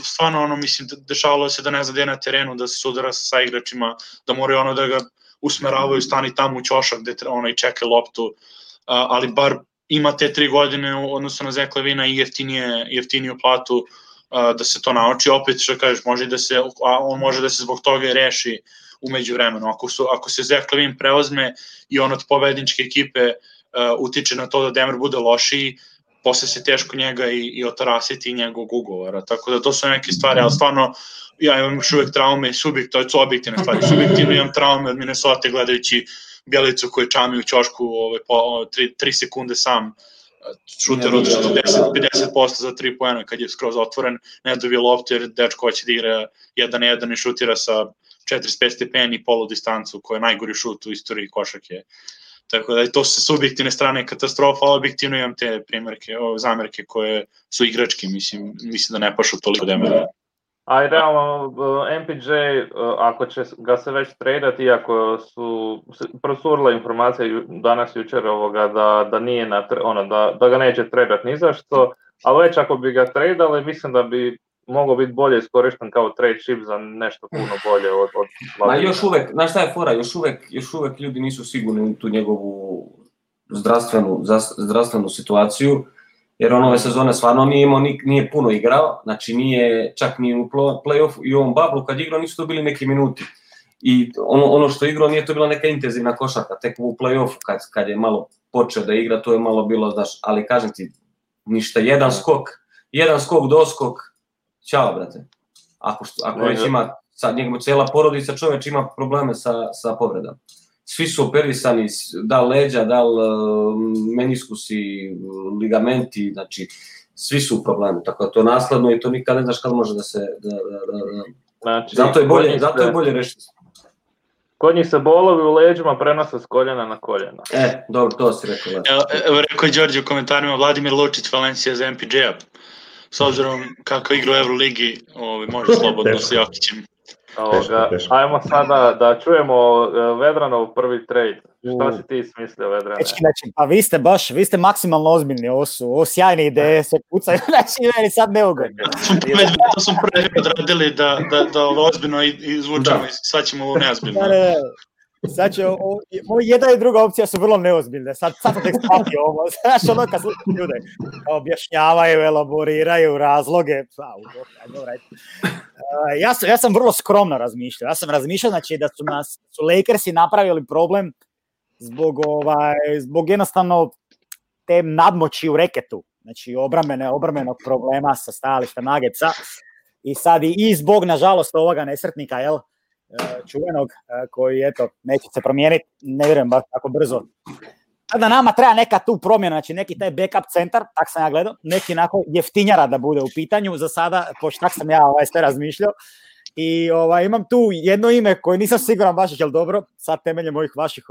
stvarno, mislim, dešavalo se da ne zna gde na terenu, da se sudara sa igračima, da moraju da ga usmeravaju, stani tamo u ćošak gde čeka loptu, ali bar ima te 3 godine u odnosu na Zach Levina i jeftiniju platu da se to nauči. Opet što kažeš, on može da se zbog toga reši umeđu vremenu. Ako se Zach Levin preozme i on od pobedničke ekipe utiče na to da Denver bude lošiji, posle se teško njega i otarasiti njegovog ugovora. Tako da to su neke stvari, ali stvarno ja imam još uvek traume, to su objektivne stvari. Subjektivno imam traume od Minnesota gledajući Bjelicu koji čami u ćošku 3 sekunde sam šuter od 50% za 3 poena kad je skroz otvoren, ne dobije loptu jer dečko hoće da igra 1-1 i šutira sa 45 stepeni polu distancu koja je najgori šut u istoriji košarke. Tako da to su subjektivne strane katastrofa, ali objektivno imam te zamerke koje su igrački, mislim da ne pašu toliko Denvera. A i realno, MPJ, ako će ga se već tradati, iako su prosurile informacije danas jučer da nije da ga neće tradati ni zašto, ali već ako bi ga tradali, mislim da bi mogao biti bolje iskorišten kao trade chip za nešto puno bolje od Ma još uvek, znaš šta je fora, još uvek ljudi nisu sigurni u tu njegovu zdravstvenu situaciju, jer on ove sezone stvarno nije puno igrao, znači nije čak ni u play-offu i u ovom bublu kad igrao nisu to bili neki minuti. I ono što je igrao nije to bila neka intenzivna košarka, tek u play-offu kad je malo počeo da igra, to je malo bilo, znaš, ali kažem ti, ništa, jedan skok, doskok, ćao, brate. Ako već ima, njegova cijela porodica čoveč ima probleme sa povredama. Svi su operisani, da leđa, da meniskusi, ligamenti, znači svi su u problemu, tako da to je nasledno i to nikad ne znaš kad može da se... Znači, zato je bolje rešiti. Kod njih se bolovi u leđima prenose s koljena na koljena. Dobro, to si rekao. Evo rekao je Đorđe u komentarima, Vladimir Lučić, Valencija za MPJ-a. S obzirom kako igra u Euroligi, može slobodno sa Jokićem. Ajmo sada da čujemo Vedranov prvi trade. Šta si ti smislio, Vedrane? Pa vi ste maksimalno ozbiljni, ovo su sjajne ideje, se pucaju, znači meni sad neugodno. To smo prvi odradili da ozbiljno izvučemo i sad ćemo ovo neozbiljno. Sad će, ovo jedna i druga opcija su vrlo neozbiljne, sad sam tek shvatio ovo, znaš ono kad slučaju ljude, objašnjavaju, elaboriraju razloge, ja sam vrlo skromno razmišljao, znači da su Lakersi napravili problem zbog jednostavno te nadmoći u reketu, znači obrambenog problema sa stajališta Nuggetsa i sad i zbog nažalost ovoga nesretnika, jel, čuvenog, koji, eto, neće se promijeniti, ne vjerujem baš tako brzo. Sada nama treba neka tu promjena, znači neki taj backup centar, tak sam ja gledao, neki onako jeftinjara da bude u pitanju, za sada, pošto tak sam ja sve razmišljao, i imam tu jedno ime koje nisam siguran baš je li dobro, sad temeljem ovih vaših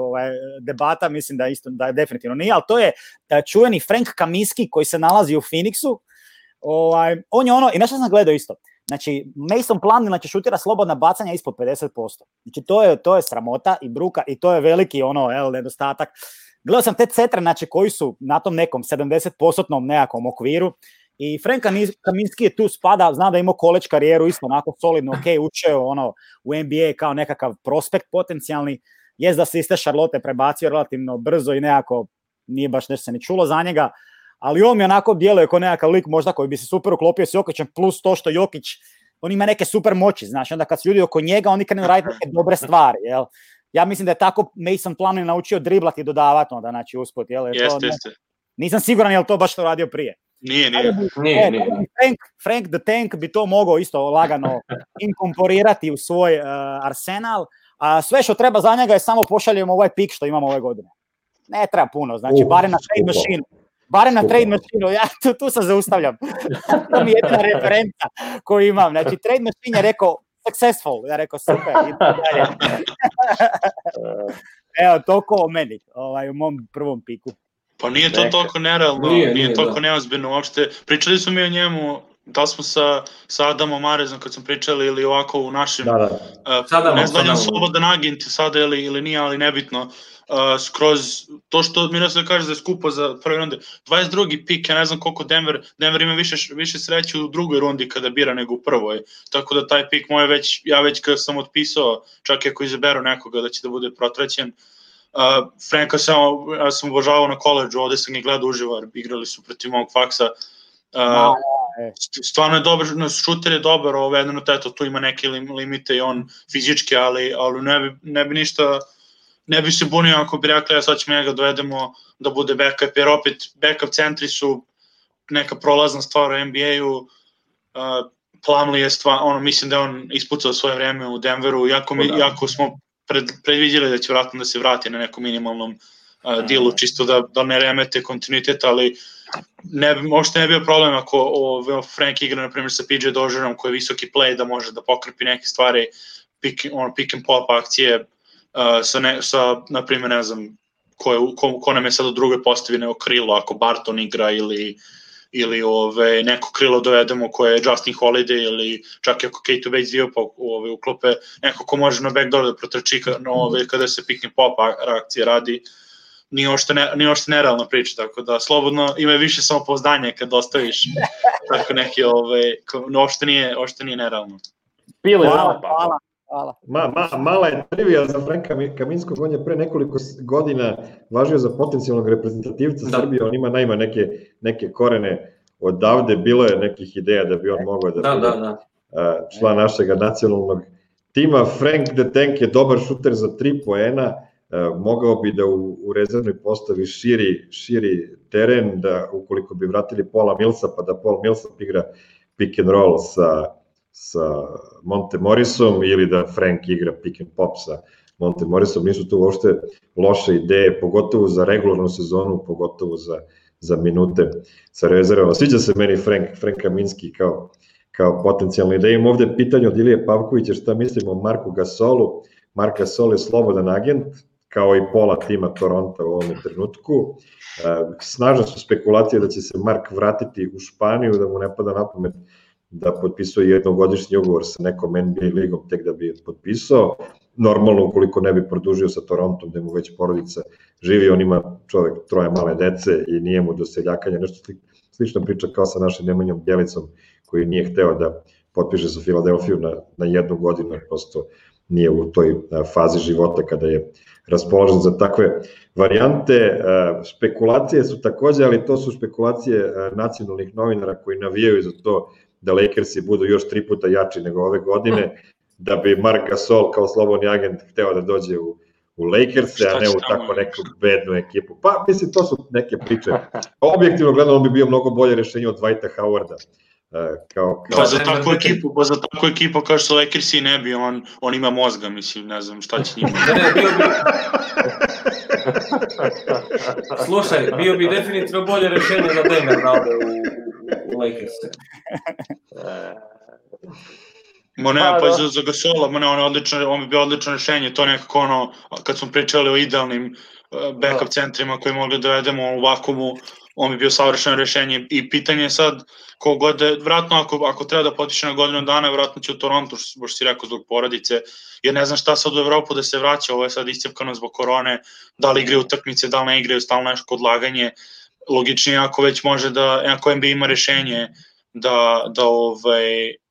debata, mislim da je definitivno nije, ali to je čuveni Frank Kaminsky koji se nalazi u Phoenixu, on je i nešto sam gledao isto, znači Mason Plumlee šutira slobodna bacanja ispod 50%, znači to je sramota i bruka i to je veliki nedostatak. Gledao sam te centre, znači koji su na tom nekom 70% nekakvom okviru i Frank Kaminsky je tu spada, znam da je imao college karijeru isto onako solidno, učeo u NBA kao nekakav prospekt potencijalni, jest da se iste Charlotte prebacio relativno brzo i nekako nije baš nešto se ni čulo za njega, ali on mi onako djeluje kao nekakav lik možda koji bi se super uklopio s Jokićem, plus to što Jokić, on ima neke super moći, znači onda kad su ljudi oko njega, oni krenu raditi neke dobre stvari, jel? Ja mislim da je tako Mason Plumlee naučio driblati i dodavati onda, znači usput, jel? Jeste. Nisam siguran je li to baš to radio prije. Nije. Frank the Tank bi to mogao isto lagano inkorporirati u svoj arsenal, a sve što treba za njega je samo pošaljemo ovaj pik što imamo ove godine. Ne treba puno, znači barem na trade machine. Barem na trade machine, ja tu se zaustavljam. To mi je jedna referenca koju imam. Znači, trade machine je rekao successful, ja rekao super, idemo dalje. Evo, toliko o meni, u mom prvom piku. Pa nije to toliko nerealno, nije toliko neozbiljno uopšte. Pričali smo mi o njemu da li smo sa Adamom Arezom kad smo pričali ili ovako u našem, ne znam da je slobodan agent sada ili nije, ali nebitno, skroz to što Miroslav kaže da je skupo za prve runde, 22. pik, ja ne znam koliko Denver ima više sreće u drugoj rundi kada bira nego u prvoj, tako da taj pik moj ja već kada sam otpisao, čak i ako izaberu nekoga da će da bude protraćen. Franka ja sam obožavao na koleđu, ovde sam ih gledao uživo, igrali su protiv mog faksa. Stvarno je dobar, šuter je dobar, jedno teto, tu ima neke limite i on fizički, ali ne bi ništa, ne bi se bunio ako bi rekli, sad ćemo njega dovedemo da bude backup, jer opet backup centri su neka prolazna stvar u NBA-u, Plumlee je stvar, mislim da je on ispucao svoje vreme u Denveru, jako smo predviđali da će vratno da se vrati na nekom minimalnom dealu, čisto da ne remete kontinuitet, ali možda ne bio problem ako Frank igra, na primjer, sa PJ Dožerom koji je visoki play, da može da pokrpi neke stvari, pick and pop akcije, sa, na primjer, ne znam, ko nam je sad u drugoj postavi nego krilo, ako Barton igra ili neko krilo dovedemo koje je Justin Holiday ili čak i ako Keita Bates-Diop uklope neko ko može na backdoor da protrči kada se pick and pop reakcije radi, nije ošte nerealna priča, tako da slobodno ima više samopouzdanja kad ostaviš tako neki, ošte nije nerealno. Hvala. Mala je trivija za Franka Kaminskog, on je pre nekoliko godina važio za potencijalnog reprezentativca Srbije, on ima neke korene odavde, bilo je nekih ideja da bi on mogao da bude član našeg nacionalnog tima. Frank the Tank je dobar šuter za 3 poena, mogao bi da u rezervnoj postavi širi teren, da ukoliko bi vratili Paula Millsa, pa da Paul Millsap igra pick and roll sa Monte Morrisom ili da Frank igra pick and pop sa Monte Morrisom, nisu tu uopšte loše ideje, pogotovo za regularnu sezonu, pogotovo za minute sa rezervama. Sviđa se meni Frank Kaminski kao potencijalna ideja. Imam ovde pitanje od Ilije Pavkovića šta mislimo o Marku Gasolu. Mark Gasol je slobodan agent, kao i pola tima Toronto u ovom trenutku. Snažne su spekulacije da će se Mark vratiti u Španiju, da mu ne pada na pamet da potpisuje jednogodišnji ugovor sa nekom NBA ligom tek da bi je potpisao. Normalno, ukoliko ne bi produžio sa Torontom, gde mu već porodica živi, on ima čovek 3 male dece i nije mu do seljakanja, nešto slično priča kao sa našim Nemanjom Bjelicom, koji nije hteo da potpiše sa Filadelfiju na 1 godinu, jer prosto nije u toj fazi života kada je raspoložen za takve varijante. Špekulacije su takođe, ali to su špekulacije nacionalnih novinara koji navijaju za to da Lakersi budu još 3 puta jači nego ove godine, da bi Mark Gasol kao slobodni agent hteo da dođe u Lakerse, a ne u tako neku bednu ekipu. Pa, mislim, to su neke priče. Objektivno gledano, on bi bio mnogo bolje rešenje od Dwighta Howarda. Pa za takvu ekipu kao što Lakersi ne bi, on ima mozga, mislim, ne znam šta će njima. Slušaj, bio bi definitivno bolje rešenje za Denver da ode u Lakerse. Pa za Gasola, on bi bio odlično rešenje, to nekako kad smo pričali o idealnim backup centrima koje mogli da dovedemo u vakumu, on bi bio savršeno rešenje i pitanje je sad kogod, vratno ako treba da potpiše na godinu dana, vratno će u Toronto, što si rekao zbog porodice, jer ne znam šta sad u Evropu da se vraća, ovo je sad iscepkano zbog korone, da li igraju utakmice, da li ne igraju, stalno nešto odlaganje, logičnije ako već može ako NBA ima rešenje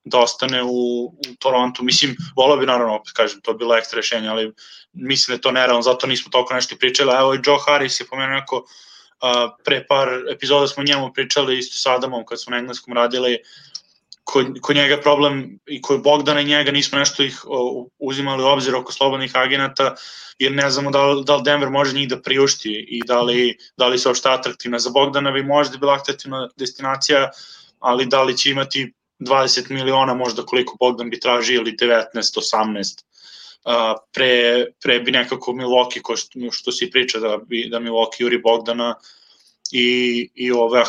da ostane u Torontu. Mislim, volao bi naravno, opet kažem, to je bilo ekstra rešenje, ali mislim da je to nerealno, zato nismo toliko nešto pričali. Evo i Joe Harris je pomenuo neko, pre par epizoda smo njemu pričali isto sa Adamom kad smo na engleskom radili, kod njega problem i kod Bogdana i njega nismo nešto ih uzimali u obzir oko slobodnih agenata, jer ne znamo da li Denver može njih da priušti i da li se uopšte atraktivna. Za Bogdana bi možda bila atraktivna destinacija, ali da li će imati 20 miliona možda koliko Bogdan bi tražio ili 19, 18. Pre bi nekako Milwaukee, što se priča da Milwaukee juri Bogdana i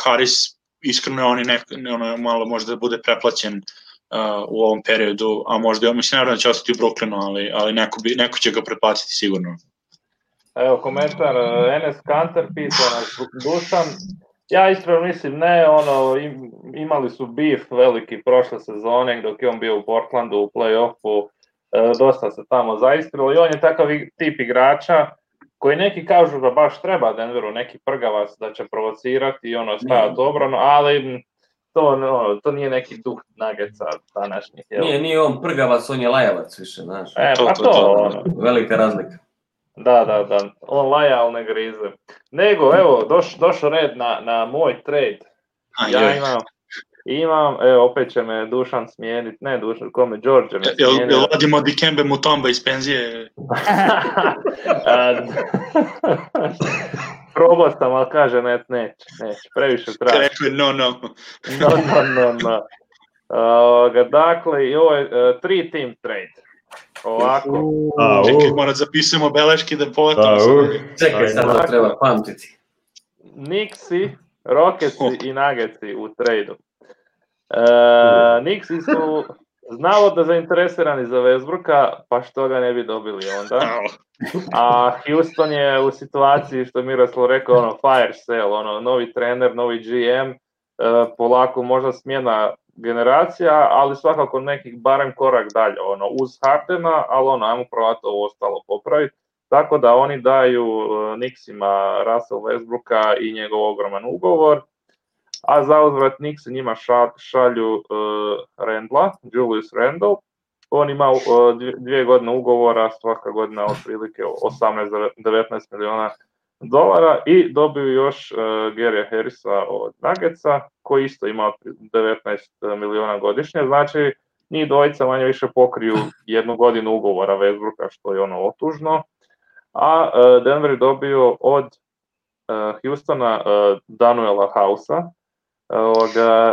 Harris, iskreno je on malo možda da bude preplaćen u ovom periodu, a možda, mislim, naravno da će ostati u Brooklynu, ali neko će ga preplatiti sigurno. Evo komentar, Enes Kanter pisao nas, Dušan, Ja iskreno mislim ne, imali su beef veliki prošle sezone dok je on bio u Portlandu u play-offu, dosta se tamo zaistrilo i on je takav tip igrača koji neki kažu da baš treba Denveru, neki prgavac da će provocirati i stajati obranu, ali to nije neki duh Nuggetsa današnjih. Nije on prgavac, on je lajavac više, znaš. Pa to. Velika razlika. Da, on laja, ali ne grize. Nego, evo, došao red na moj trade. Ja imam, evo, opet će me Dušan smijeniti, ne Dušan, kome, Đorđe me smijeniti. Jel vodimo Dikembe Mutomba iz penzije? Probao sam, ali kaže neće, previše traži. Rekao je no. Dakle, i ovo je 3-team trade. Ovako. Čekaj, morat zapisujemo beleške da poletamo. Čekaj, sad da treba pamtiti. Knicksi, Rocketsi i Nuggetsi u tradu. Knicksi su navodno zainteresirani za Westbrooka, pa što ga ne bi dobili onda. A Houston je u situaciji, što je Miroslav rekao, fire sale, novi trener, novi GM, polako možda smjena generacija, ali svakako nekih barem korak dalje, uz Hardena, ali ajmo probati ovo ostalo popraviti. Tako da oni daju Knicksima Russell Westbrooka i njegov ogroman ugovor, a za uzvrat Knicksi njima šalju Julius Randle. On ima 2 godine ugovora, svaka godina otprilike 18-19 miliona dolara i dobiju još Gary'a Harrisa od Nuggetsa, koji isto ima 19 miliona godišnje, znači njih dvojica manje više pokriju 1 godinu ugovora Westbrooka, što je otužno, a Denver je dobio od Houstona Danuela Housea.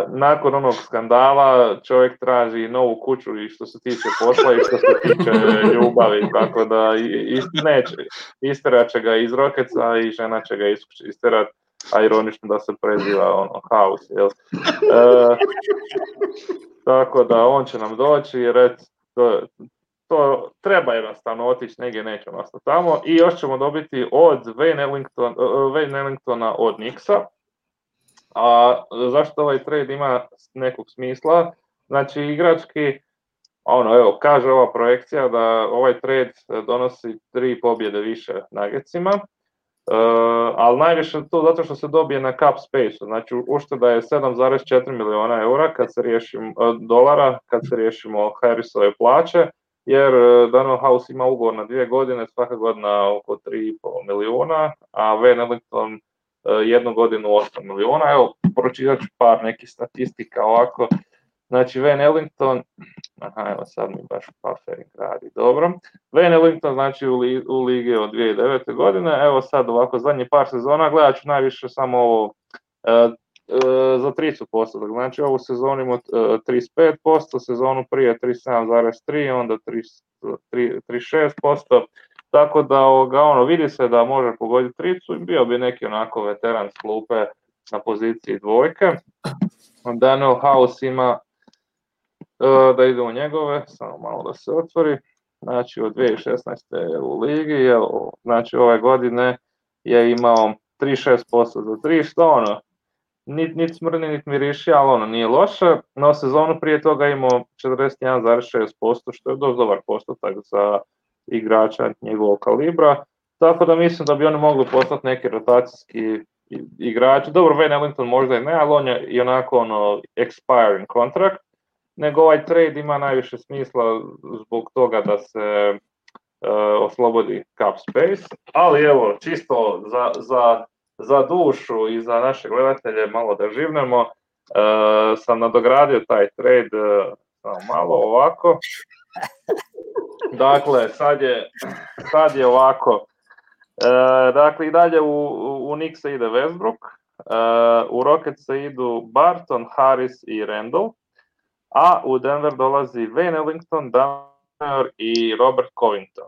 Nakon onog skandala čovjek traži novu kuću i što se tiče posla i što se tiče ljubavi, tako da isterat će ga iz Rocketsa i žena će ga isterat, a ironično da se preziva House, jel? Tako da on će nam doći jer to treba jednostavno otići, negdje neće ostati tamo i još ćemo dobiti od Wayne Ellingtona od Knicksa. A zašto ovaj trade ima nekog smisla? Znači igrački, kaže ova projekcija da ovaj trade donosi 3 pobjede više Nuggetsima, ali najviše to zato što se dobije na cap space, znači ušteda je 7,4 miliona eura dolara kad se riješimo Harrisove plaće, jer Danuel House ima ugovor na 2 godine, svaka godina oko 3,5 miliona, a Wayne Ellington 1 godinu 8 miliona. Evo, pročitat ću par nekih statistika ovako. Znači, Wayne Ellington, evo sad mi baš buffering radi, dobro. Wayne Ellington, znači, u ligi od 2009. godine, evo sad ovako, zadnji par sezona, gledat ću najviše samo ovo za 30%, znači ovu sezonu ima 35%, sezonu prije 37,3%, onda 36%, tako da vidi se da može pogoditi tricu i bio bi neki onako veteran s klupe na poziciji dvojke. Danuel House ima, da idemo njegove, samo malo da se otvori, znači od 2016. u ligi, znači ove godine je imao 36% za 3, što niti smrni, niti miriši, ali nije loše, no sezonu prije toga imao 41,6%, što je dosta dobar postotak za igrača njegovog kalibra, tako da mislim da bi oni mogli postati neki rotacijski igrači. Dobro, Wayne Ellington možda i ne, ali on je i onako expiring contract, nego ovaj trade ima najviše smisla zbog toga da se oslobodi cap space, ali evo, čisto za dušu i za naše gledatelje malo da živnemo, sam nadogradio taj trade malo ovako. Dakle, sad je ovako. Dakle, i dalje u Knicksa ide Westbrook, u Rocketsa idu Barton, Harris i Randle, a u Denver dolazi Wayne Ellington, Daniel i Robert Covington.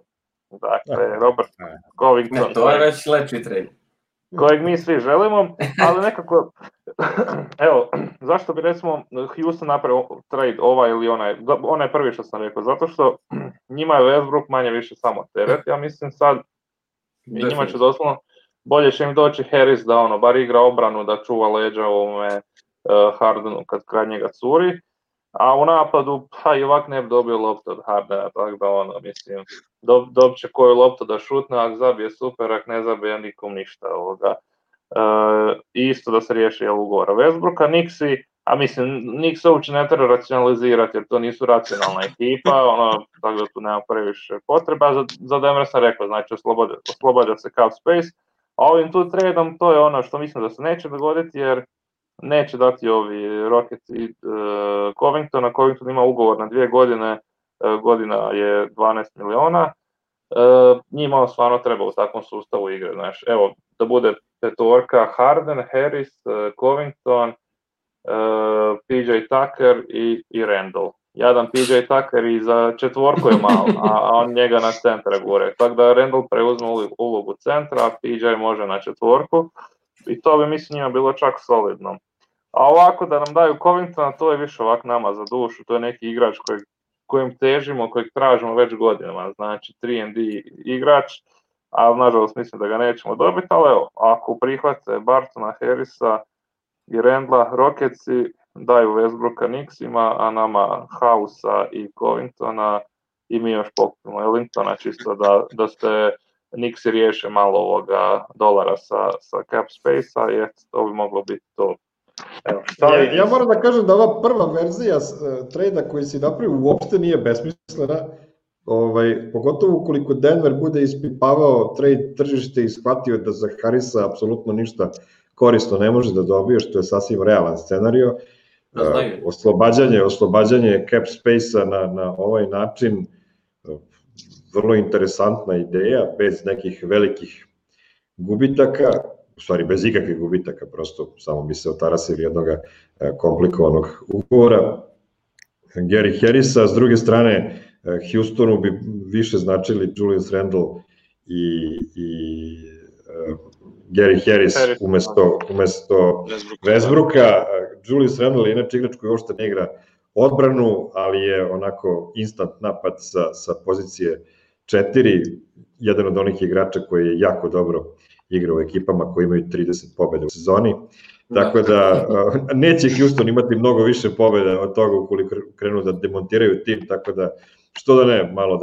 Dakle, Robert Covington. To je već lepši trade. Kojeg mi svi želimo, ali nekako, evo, zašto bi recimo Houston napravio trade ovaj ili onaj prvi što sam rekao, zato što njima je Westbrook manje više samo teret, ja mislim sad, njima će doslovno bolje će im doći Harris da bar igra obranu, da čuva leđa ovome Hardenu kad kraj njega curi, a u napadu i ovak ne bi dobio loptu od Hardena, tako da mislim, dobit će koju loptu da šutne, ako zabije super, ako ne zabije nikom ništa ovoga. Isto da se riješi ugovora Westbrooka, Knicksi, a mislim, Knicks uopće ne treba racionalizirati jer to nisu racionalna ekipa, tako da tu nema previše potreba. Za Denver sam rekao, znači oslobađa se cap space, a ovim tu tradom to je što mislim da se neće dogoditi jer neće dati ovi Rockets i Covingtona. Covington ima ugovor na 2 godine, godina je 12 miliona. Njima stvarno treba u takvom sustavu igre, znaš, evo, da bude petorka Harden, Harris, Covington, PJ Tucker i Randall. Jadan PJ Tucker i za četvorku je malo, a on njega na centra gore. Tako da Randall preuzme ulogu centra, a PJ može na četvorku i to bi mislim njima bilo čak solidno. A ovako da nam daju Covingtona, to je više ovak nama za dušu, to je neki igrač kojim težimo, kojeg tražimo već godinama, znači 3&D igrač, a nažalost mislim da ga nećemo dobiti, ali evo, ako prihvate Bartona, Harrisa i Randla, Rocketsi daju Westbrooka Knicksima, a nama Housea i Covingtona i mi još pokupimo Ellingtona, čisto da ste Knicksi riješe malo ovoga dolara sa cap space-a, jer to bi moglo biti to. Evo, ja moram da kažem da ova prva verzija trejda koji si napravio uopšte nije besmislena, pogotovo ukoliko Denver bude ispipavao trade tržište i shvatio da za Harrisa apsolutno ništa korisno ne može da dobije, što je sasvim realan scenario. Oslobađanje cap space-a na ovaj način, vrlo interesantna ideja, bez nekih velikih gubitaka, u stvari bez ikakvih gubitaka, prosto samo bi se otarasili jednog komplikovanog ugovora. Gary Harrisa, s druge strane, Houstonu bi više značili Julius Randle i Gary Harris umesto Westbrooka. Julius Randle je inače igrač koji uopšte ne igra odbranu, ali je onako instant napad sa pozicije 4, jedan od onih igrača koji je jako dobro igra u ekipama koji imaju 30 pobjeda u sezoni, tako da neće Houston imati mnogo više pobjeda od toga ukoliko krenu da demontiraju tim, tako da što da ne, malo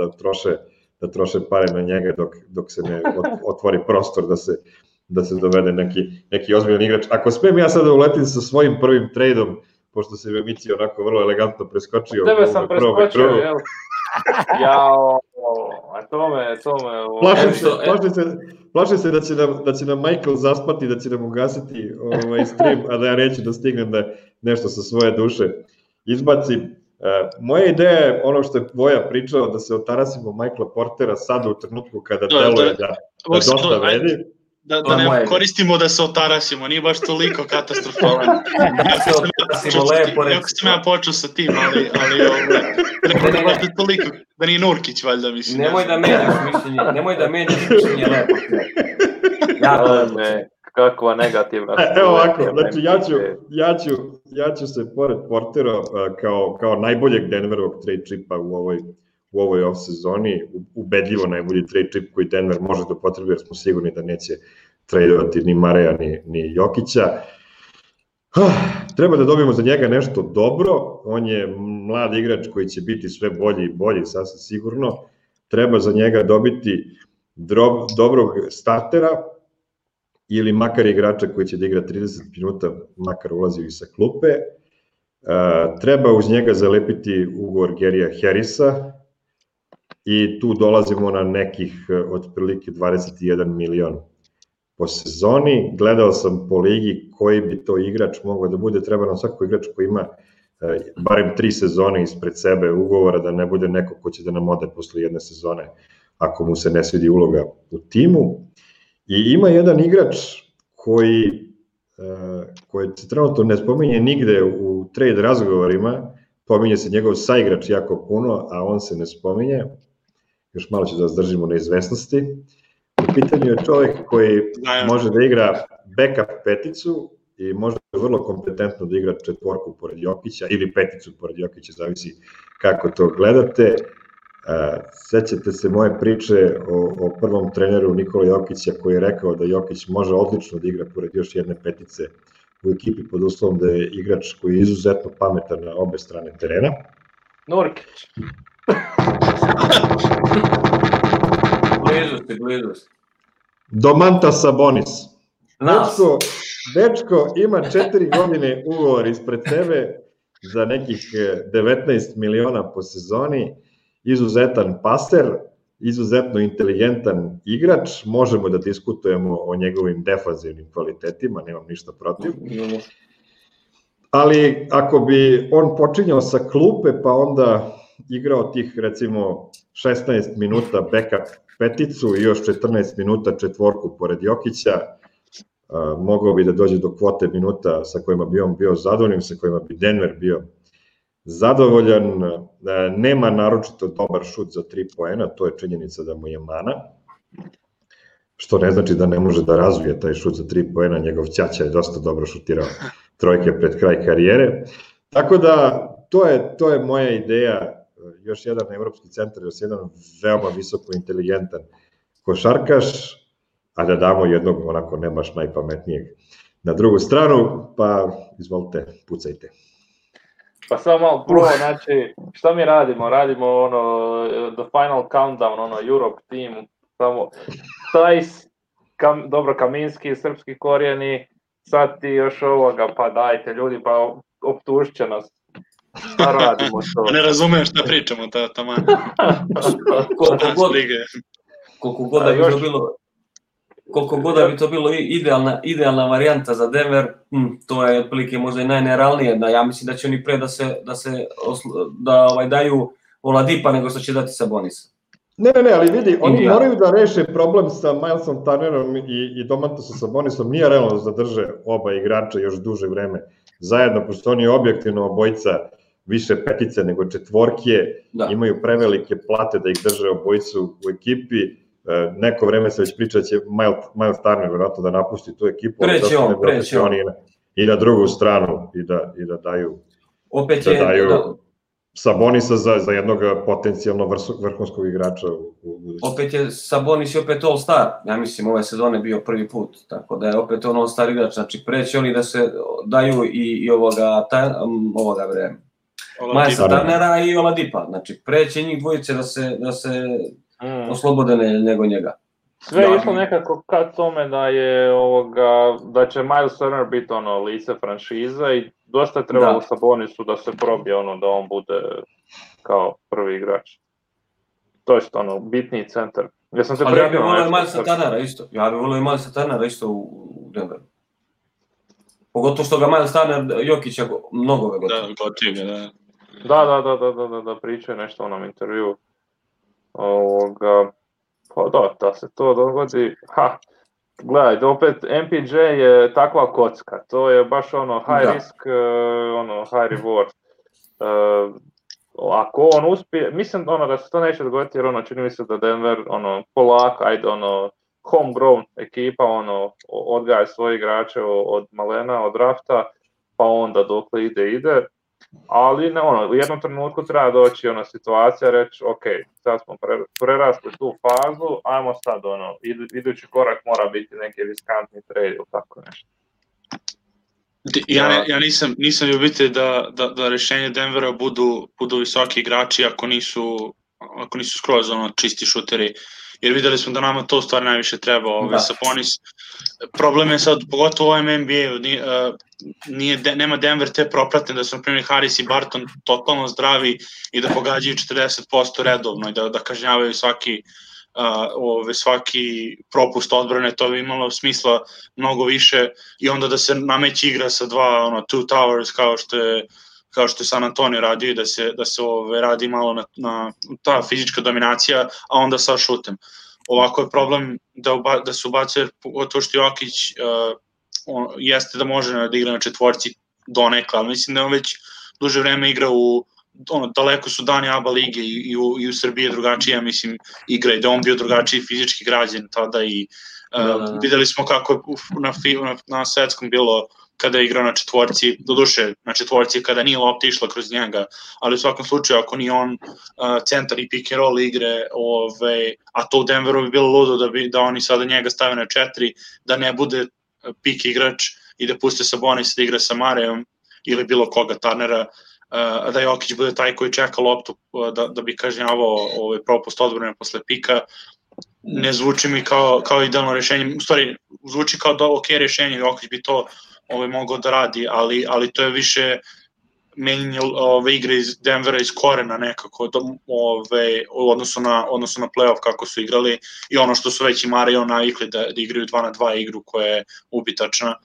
da troše pare na njega dok se ne otvori prostor da se dovede neki ozbiljan igrač. Ako smijem ja sada uletim sa svojim prvim trejdom, pošto se Mici onako vrlo elegantno preskočio. Tebe sam preskočio, jel? Jao, a tome... Plašim se da će nam Michael zaspati, da će nam ugasiti stream, a da ja neću da stignem da nešto sa svoje duše izbacim. Moja ideja je ono što je Voja pričao, da se otarasimo Michaela Portera sada u trenutku kada deluje da dosta vredi. Da ne koristimo da se otarasimo, nije baš toliko katastrofalan. Jako sam ja počeo sa tim, ali ne baš da toliko, da nije Nurkić valjda mislim. Nemoj da menjaš mišljenje lepo. Kakva negativna. Evo ovako, znači ja ću se pored Portera kao najboljeg Denverovog trade chipa u ovoj off sezoni, ubedljivo najbolji trade chip koji Denver može da potrebi, jer smo sigurni da neće tradeovati ni Mareja ni Jokića. Treba da dobijemo za njega nešto dobro, on je mlad igrač koji će biti sve bolji i bolji, sasvim sigurno. Treba za njega dobiti dobrog startera ili makar igrača koji će da igra 30 minuta, makar ulazi i sa klupe. Treba uz njega zalepiti ugovor Garyja Harrisa i tu dolazimo na nekih otprilike 21 milion po sezoni. Gledao sam po ligi koji bi to igrač mogao da bude, treba nam svako igrač koji ima barem 3 sezone ispred sebe ugovora, da ne bude neko ko će da nam ode posle jedne sezone ako mu se ne svidi uloga u timu. I ima jedan igrač koji se trenutno ne spominje nigde u trade razgovorima, pominje se njegov saigrač jako puno, a on se ne spominje, još malo ću da zdržimo na izvesnosti. U pitanju je čovjek koji može da igra backup peticu i može vrlo kompetentno da igra četvorku pored Jokića ili peticu pored Jokića, zavisi kako to gledate. Sećate se moje priče o prvom treneru Nikola Jokića koji je rekao da Jokić može odlično da igra pored još jedne petice u ekipi pod uslovom da je igrač koji je izuzetno pametan na obe strane terena. Nurkić. Blizu ste. Domantas Sabonis. Dečko ima 4 godine ugovor ispred sebe za nekih 19 miliona po sezoni, izuzetan paser, izuzetno inteligentan igrač, možemo da diskutujemo o njegovim defanzivnim kvalitetima, nemam ništa protiv. Ali ako bi on počinjao sa klupe pa onda igrao tih recimo 16 minuta backup peticu i još 14 minuta četvorku pored Jokića, mogao bi da dođe do kvote minuta sa kojima bi on bio zadovoljan, sa kojima bi Denver bio zadovoljan. Nema naročito dobar šut za 3 poena, to je činjenica da mu je mana, što ne znači da ne može da razvije taj šut za 3 poena, njegov ćaća je dosta dobro šutirao trojke pred kraj karijere. Tako da, to je moja ideja, još jedan evropski centar, još jedan veoma visoko inteligentan košarkaš, a da damo jednog onako ne baš najpametnijeg na drugu stranu, pa izvolite, pucajte. Pa samo malo prvo, znači, šta mi radimo? Radimo ono, the final countdown, ono, Europe team, samo, Tajs, dobro, Kaminski, srpski korijeni, sad ti još ovoga, pa dajte ljudi, pa optužit će nas. Šta radimo to? Ne razumem šta pričamo, tamo. Koliko god da bi to bilo idealna varijanta za Denver, to je otprilike možda i najnerealnije. Ja mislim da će oni pre da daju Oladipa nego što će dati Sabonisa. Ne, ali vidi, oni moraju da reše problem sa Milesom Turnerom i Domantasom Sabonisom. Nije realno da zadrže oba igrača još duže vreme zajedno, pošto oni objektivno obojica više petice nego četvorke, imaju prevelike plate da ih drže obojicu u ekipi. Neko vreme se već priča da će Miles Turner vjerojatno da napusti tu ekipu, preće on. I na drugu stranu i da daju Sabonisa za jednog potencijalno vrhunskog igrača. Opet je Sabonis i opet All-Star, ja mislim ove sezone bio prvi put, tako da je opet on All-Star igrač, znači preće oni da se daju i ovoga vreme. Milesa Turnera i Oladipa, znači preće njih dvojice da se oslobode nego njega. Sve je išlo nekako ka tome da će Miles Turner biti lice franšiza i dosta je trebalo Sabonisu da se probije da on bude kao prvi igrač. To je bitniji centar. Ali ja bih volio Milesa Turnera isto. Ja bih volio Milesa Turnera isto u Denveru. Pogotovo što ga Miles Turner Jokića mnogo ga gotovo. Da, gotovo, da. Da, pričaju nešto u onom intervju. Pa da se to dogodi, gledaj, opet MPJ je takva kocka, to je baš high risk, high reward. Ako on uspije, mislim da se to neće dogoditi jer čini mi se da Denver polako, homegrown ekipa, odgaja svoje igrače od malena, od drafta, pa onda dokle ide. Ali u jednom trenutku treba doći situacija, reći ok, sad smo prerasli tu fazu, ajmo sad idući korak mora biti neki riskantni trade ili tako nešto. Ja nisam ljubitelj da rešenje Denvera budu visoki igrači ako nisu skroz čisti šuteri. Jer videli smo da nama to u stvari najviše treba. Sabonis, problem je sad, pogotovo u ovom NBA-u, nema Denver te propratne da su, na primjer, Harris i Barton totalno zdravi i da pogađaju 40% redovno i da kažnjavaju svaki propust odbrane, to bi imalo smisla mnogo više i onda da se nameći igra sa two towers kao što je San Antonio radio i da se radi malo na ta fizička dominacija, a onda sa šutem. Ovako je problem da se ubacuje, pogotovo što Jokić jeste da može da igra na četvorci donekle, ali mislim da on već duže vreme igra daleko su dani ABA lige i u Srbiji je drugačije, mislim, igra i da on bio drugačiji fizički građen tada i videli smo kako je na svetskom bilo kada je igrao na četvorci, doduše na četvorci kada nije lopta išla kroz njega, ali u svakom slučaju ako nije on centar i pick and roll igre, a to u Denveru bi bilo ludo da oni sada njega stave na 4, da ne bude pik igrač i da puste Sabonis da igra sa Marejom ili bilo koga, Turnera, da Jokić bude taj koji čeka loptu da bi kažnjavao propust odbrane posle pika. Ne zvuči mi kao idealno rešenje, u stvari zvuči kao ok rešenje, Jokić bi to mogao da radi, ali to je više menjanje igre iz Denvera iz korena nekako u odnosu na playoff kako su igrali i ono što su već i Mario navikli da igraju 2-2 igru koja je ubitačna.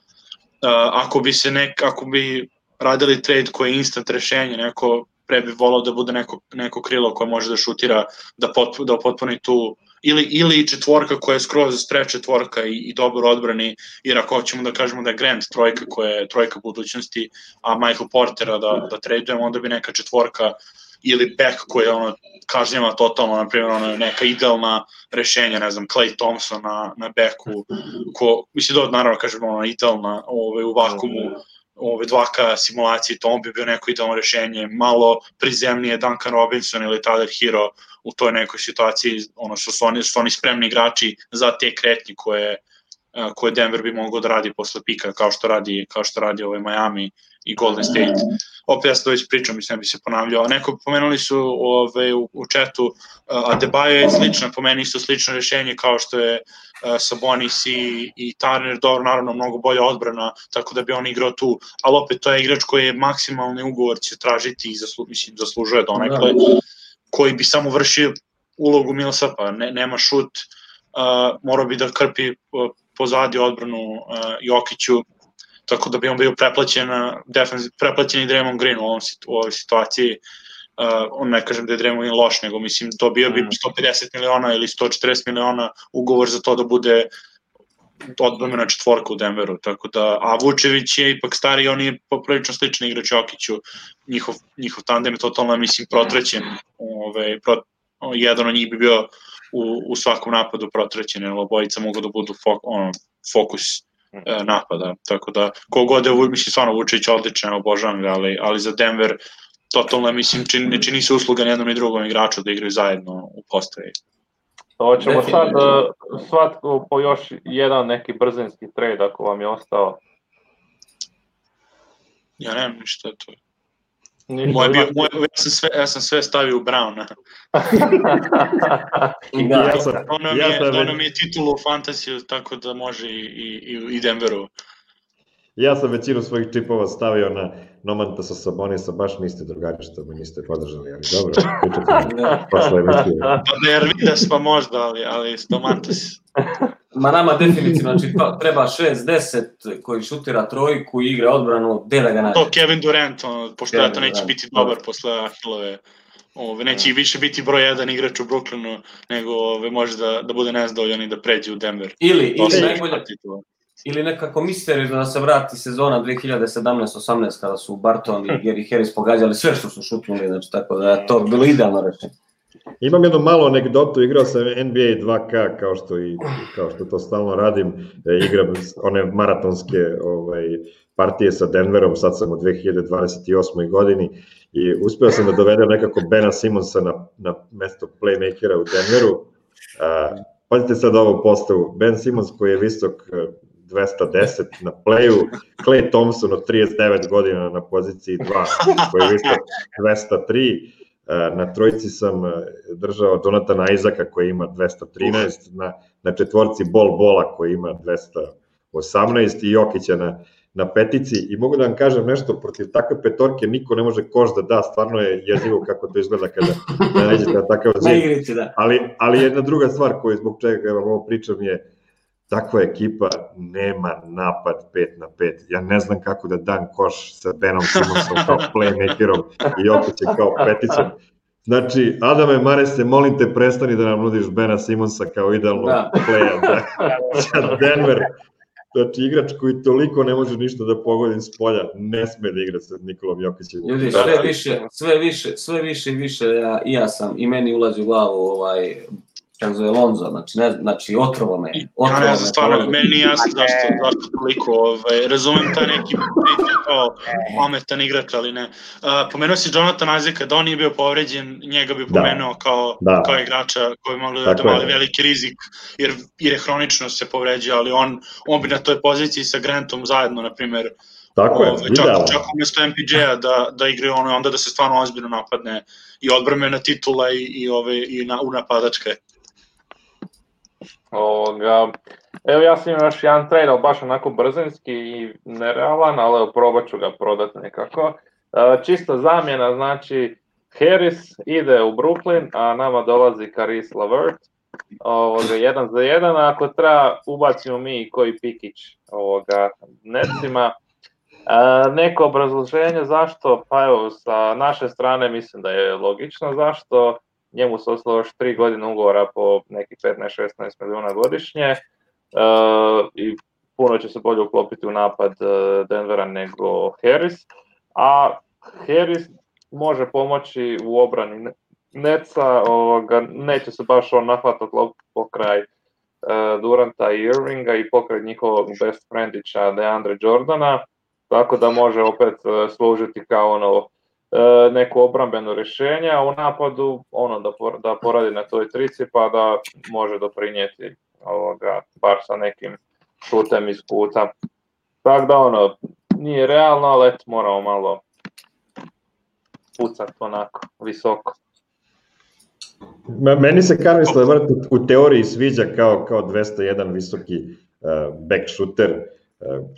Ako bi radili trade koji je instant rešenje, neko pre bi volao da bude neko krilo koje može da šutira, da potpuni tu ili četvorka koja je skroz stretch četvorka i dobro odbrani, jer ako hoćemo da kažemo da je Grant trojka koja je trojka budućnosti, a Michael Portera da tradujemo, onda bi neka četvorka ili back koja kažnjava totalno, na primjer neka idealna rešenja, ne znam, Klay Thompson na backu, mislim da naravno kažemo idealna u vakumu, 2K simulacije, to bi bio neko idealno rešenje, malo prizemnije Duncan Robinson ili Tyler Hero u toj nekoj situaciji, su oni spremni igrači za te kretnje koje Denver bi mogao da radi posle pika, kao što radi Miami i Golden State. Opet ja sam to već pričao, mislim da bi se ponavljao. Neko pomenuli su u chatu, Adebayo je slično, po meni isto slično rešenje kao što je Sabonis i Turner, dobro, naravno mnogo bolja odbrana, tako da bi on igrao tu, ali opet to je igrač koji je maksimalni ugovor će tražiti i zaslužuje donekle, koji bi samo vršio ulogu Millsapa, nema šut, morao bi da krpi pozadi odbranu Jokiću, tako da bi on bio preplaćen i Draymond Green u ovoj situaciji. Ne kažem da je Draymond Green loš, nego mislim dobio bi 150 miliona ili 140 miliona ugovor za to da bude odbrana četvorka u Denveru, tako da, a Vučević je ipak stari, on je poprilično sličan igrač Jokiću, njihov tandem je totalno, mislim, protrećen, jedan od njih bi bio u svakom napadu protrećen, jer obojica mogu da budu fokus napada, tako da kogod je, mislim, stvarno Vučević odličan, obožavam ga, ali za Denver totalno, mislim, ne čini se usluga ni jednom ni drugom igraču da igraju zajedno u postavi. Hoćemo sad svatko po još jedan neki brzinski trade ako vam je ostao. Ja nemam ništa to. Ja sam sve stavio u Browna. Ono mi je titulu u fantasiju, tako da može i Denveru. Ja sam većinu svojih čipova stavio na Nomantasa Sabonisa, baš niste drugari što me niste podržali, ali dobro, pričate posle emisije. Pa Ervidas pa možda, ali Domantas. Ma nama definitivno, znači treba 6-10 koji šutira trojku i igra odbranu, gde da ga nađe. To Kevin Durant, pošto to neće biti dobar posle Ahilove. Neće više biti broj 1 igrač u Brooklynu, nego može da bude nezadovoljan i da pređe u Denver. Ili nekako misteriju da se vrati sezona 2017-18 kada su Barton i Gary Harris pogađali sve što su šutnuli, znači tako da je to bilo idealno rešenje. Imam jednu malu anegdotu, igrao sam NBA 2K kao što to stalno radim, igram one maratonske partije sa Denverom, sad sam u 2028. godini i uspeo sam da dovedem nekako Bena Simonsa na mesto playmakera u Denveru. Pazite sad ovu postavu, Ben Simons koji je visok 210 na playu, Klay Thompson od 39 godina na poziciji 2 koji je visok 203, na trojici sam držao Jonathana Isaaca koji ima 213, na četvorci Bola koji ima 218 i Jokića na petici i mogu da vam kažem nešto, protiv takve petorke niko ne može koš da da, stvarno je jezivo kako to izgleda kada nađete na takav zid, ali jedna druga stvar koju zbog čega vam ovo pričam je takva ekipa nema napad 5 na 5. Ja ne znam kako da dam koš sa Benom Simonsom kao playmakerom i Jokićem kao peticom. Znači, Adame Marese, molim te, prestani da nam nudiš Bena Simonsa kao idealnog playa za Denver. Znači, igrač koji toliko ne može ništa da pogodi s polja, ne sme da igra sa Nikolom Jokićem. Ljudi, sve više i više, i ja sam, i meni ulazi u glavu kako zove Lonzo, znači otrovo me. Ja ne znam, stvarno, meni nije jasno zašto toliko, razumem taj neki kao pametan igrač, ali ne. Pomenuo si Jonathan Isaaca, da on nije bio povređen, njega bi pomenuo kao igrača koji bi mogli da mali veliki rizik, jer je hronično se povređio, ali on bi na toj poziciji sa Grantom zajedno, na primjer, tako je, čak umjesto MPJ-a da igraju onda da se stvarno ozbiljno napadne i odbrambena titula i napadačke. Evo ja sam imao još jedan trade, ali baš onako brzinski i nerealan, ali probat ću ga prodati nekako. Čisto zamjena, znači Harris ide u Brooklyn, a nama dolazi Caris LeVert, 1 za 1, a ako treba ubacimo mi koji pikić Netsima. Neko obrazloženje zašto, pa evo sa naše strane mislim da je logično zašto, njemu se ostalo još 3 godine ugovora po neki 15-16 milijuna godišnje i puno će se bolje uklopiti u napad Denvera nego Harris, a Harris može pomoći u obrani Netsa, neće se baš on nahvatati loptu pokraj Duranta i Irvinga i pokraj njihovog best friendića DeAndre Jordana, tako da može opet služiti kao neko obrambeno rješenje, a u napadu da poradi na toj trici pa da može doprinijeti bar sa nekim šutem iz kuta. Tako da nije realno, ali moramo malo pucati onako visoko. Meni se Caris LeVert u teoriji sviđa kao 201 visoki back shooter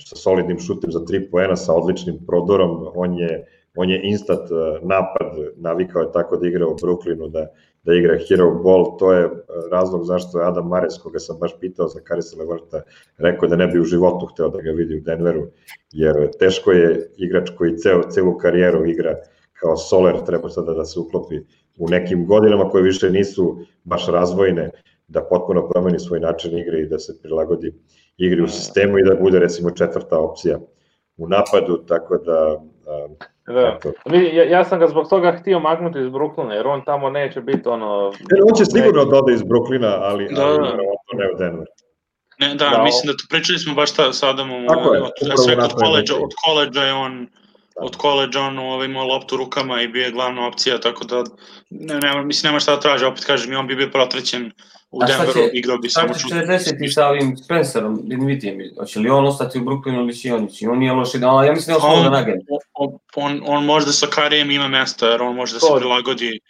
sa solidnim šutem za 3 poena, sa odličnim prodorom. On je instant napad, navikao je tako da igra u Brooklynu, da igra hero ball. To je razlog zašto je Adam Mares, koga sam baš pitao za Carisa LeVerta, rekao da ne bi u životu hteo da ga vidi u Denveru, jer teško je igrač koji celu karijeru igra kao soler, treba sada da se uklopi u nekim godinama koje više nisu baš razvojne, da potpuno promeni svoj način igre i da se prilagodi igri u sistemu i da bude recimo 4. opcija u napadu, tako da... Ja sam ga zbog toga htio maknuti iz Brooklyna, jer on tamo neće biti On će sigurno da ode iz Brooklyna, ali ne u Denver. Mislim da pričali smo baš sa Adamom, od koleđa je on... Od koleđa on imao loptu rukama i bio je glavna opcija, tako da nema šta da traži, opet kažem, on bi bio protrećen u Denveru, igrao bi samo čuti. A šta će 40 sa ovim Spencerom, Dinvitijem, hoće li on ostati u Brooklynu ili će on nije loši, ja mislim da je on slobodan agent. On možda sa Karijem ima mesta, jer on može da se prilagodi.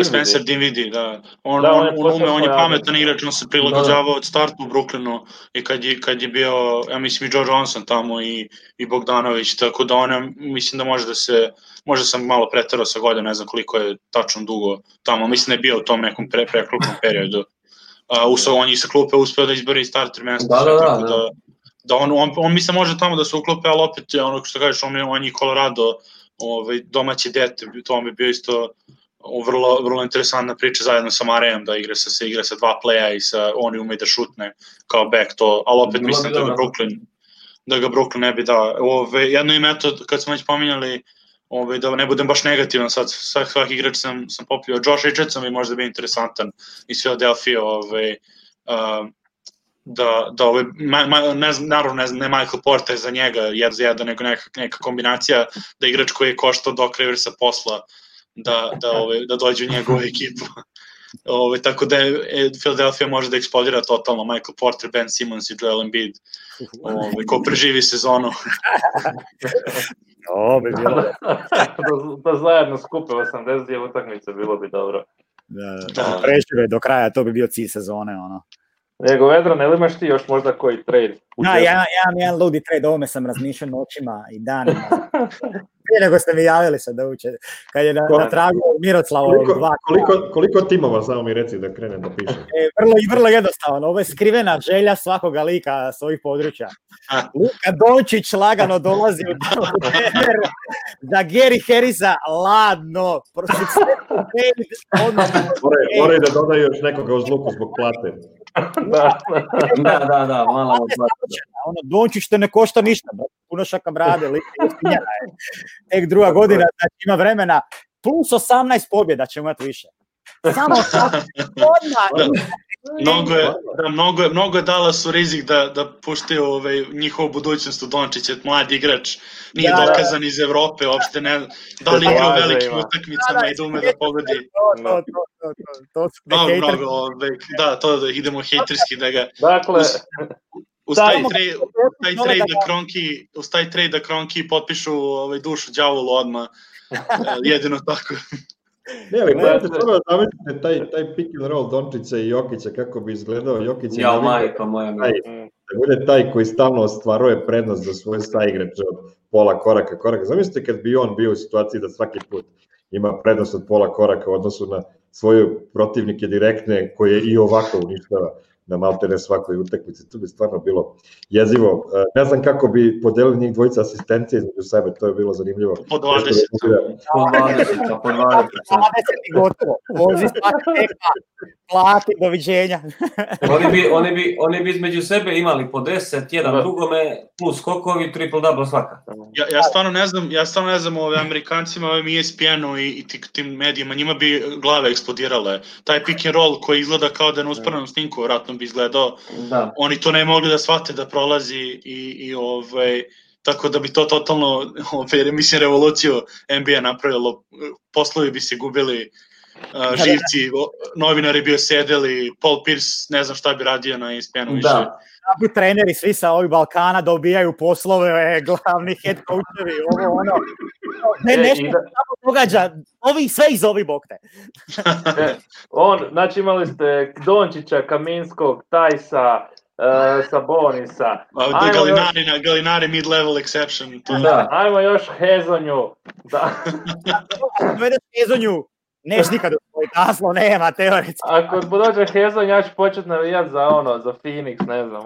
Spencer Dinwiddie, da. On je pametan igrač, on se prilagođavao od starta u Brooklynu i kad je bio, ja mislim i Joe Johnson tamo i Bogdanović, tako da mislim da može sam malo preterao sa godina, ne znam koliko je tačno dugo tamo, mislim da je bio u tom nekom preklupnom periodu. On je sa klupe uspeo da izbori starter mjesto, tako da on mislim može tamo da se uklope, ali opet ono što kažeš, on je Colorado domaći dete, to on bi bio isto vrlo interesantna priča zajedno sa Marejem, da se igra sa 2 playa i oni umeju da šutne kao back to, ali opet mislim da ga Brooklyn ne bi dao. Jedno ime, kad smo već pominjali, da ne budem baš negativan sad, svaki igrač sam popio, Josh Richardson bi možda bio interesantan iz Philadelphia, naravno ne Michael Porter za njega, 1 za 1, nego neka kombinacija, da igrač koji je koštao Doc Riversa posla, da dođe u njegovu ekipu. Tako da Philadelphia može da eksplodira totalno, Michael Porter, Ben Simmons i Joel Embiid, ko preživi sezonu. Da zajedno skupe 82 utakmice, bilo bi dobro. Da prežive do kraja, to bi bio cilj sezone. Nego, Vedran, ili imaš ti još možda koji trade? Ja imam jedan ludi trade, ovome sam razmišljao noćima i danima. Prije nego ste mi javili se da uče, kad je na tragu Miroslavovog 2. Koliko timova, samo mi reci da krenem da pišem? Vrlo jednostavno, ovo je skrivena želja svakoga lika s ovih područja. Luka Dončić lagano dolazi u Denver za Gary Harrisa, ladno. Moraju da dodaju još nekoga uz luku zbog plate. Da, malo plate. Dončić te ne košta ništa, puno šaka brade, tek druga godina, znači ima vremena, plus 18 pobjeda ćemo imati više. Samo odmah Mnogo je Dallasu rizik da puštaju njihovu budućnost u Dončića, mladi igrač, nije dokazan iz Evrope, uopšte ne, da li igra u velikim utakmicama i da ume da pogodi. To idemo hejterski da ga... Dakle, uz taj trade da Kronki potpišu dušu đavolu odmah, jedino tako. Ne, ali gledajte, prvo da zamislite taj pick and roll Dončića i Jokića, kako bi izgledao Jokić. Ja, majka moja. Da bude taj koji stalno ostvaruje prednost za svoje saigrače od pola koraka. Zamislite kad bi on bio u situaciji da svaki put ima prednost od pola koraka u odnosu na svoje protivnike direktne, koje i ovako uništava na maltene svakoj utakmici. To bi stvarno bilo jezivo. Ne znam kako bi podelili njih dvojica asistencije između sebe, to je bilo zanimljivo. Po 20. Po 20 i gotovo. Vozi svaka tekma, plati, doviđenja. Oni bi između sebe imali po 10, jedan drugome, plus skokovi, triple-double svaka. Ja stvarno ne znam ove Amerikancima, ovim ESPN-u i tim medijima, njima bi glave eksplodirale. Taj pick and roll koji izgleda kao da je na usporenom snimku, vratno bi izgledao. Da. Oni to ne mogli da shvate da prolazi i tako da bi to totalno, mislim, revoluciju NBA napravilo, poslovi bi se gubili, živci, novinari bi osedeli, Paul Pierce, ne znam šta bi radio na ESPN-u više. Da bi treneri svi sa ovih Balkana dobijaju poslove, glavni head coachevi, ono. Nešto samo događa, sve iz ovih bokte. Znači imali ste Dončića, Kaminskog, Tajsa, Sabonisa. Galinari mid-level exception. Ajmo još Hezonju. Dovedeš Hezonju, neš nikad u svoj naslov, nema teoretski. Ako dođe Hezonj, ja ću početi navijati za Phoenix, ne znam,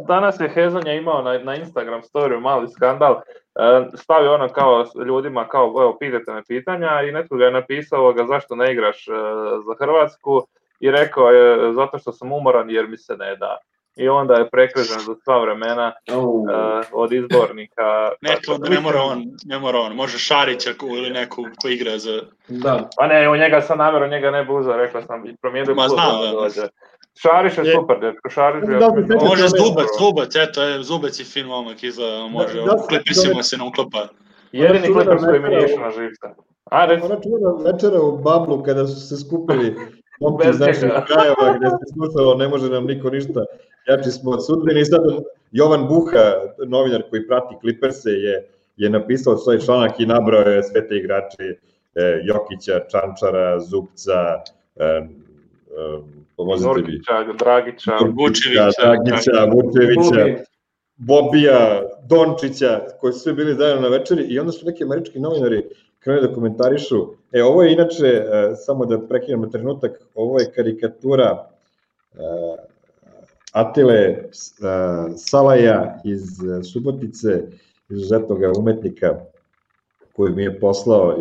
Danas je Hezonja imao na Instagram storiju mali skandal, stavio kao ljudima, evo, pitajte me pitanja, i netko ga je napisao zašto ne igraš za Hrvatsku, i rekao je zato što sam umoran jer mi se ne da. I onda je prekrižen za sva vremena od izbornika. Ne mora on, može Šarića ili neku ko igra za... Da. Pa ne, u njega sam namjerno, njega ne bi uzeo, rekao sam, i promijenio klub da dođe. Šarić je super, djetko, može Zubac, eto, Zubac je fin momak, izgleda, može, u Clippersima se ne uklapa. Jedini Clippers koji mi nije išao na živca. Ona čuvena večera u Bablu kada su se skupili momci iz naših krajeva gde se slušalo ne može nam niko ništa, jači smo od sudbine, i sad Jovan Buha, novinar koji prati Clippers-e, je napisao svoj članak i nabrao je sve te igrače, Jokića, Čančara, Zubca, Nurkića, Dragića, Vučevića, Bobija, Dončića, koji su svi bili zajedno na večeri, i onda su neki američki novinari krenuli da komentarišu. Ovo je inače, samo da prekinemo trenutak, ovo je karikatura Atile Salaja iz Subotice, izuzetnog umetnika koji mi je poslao,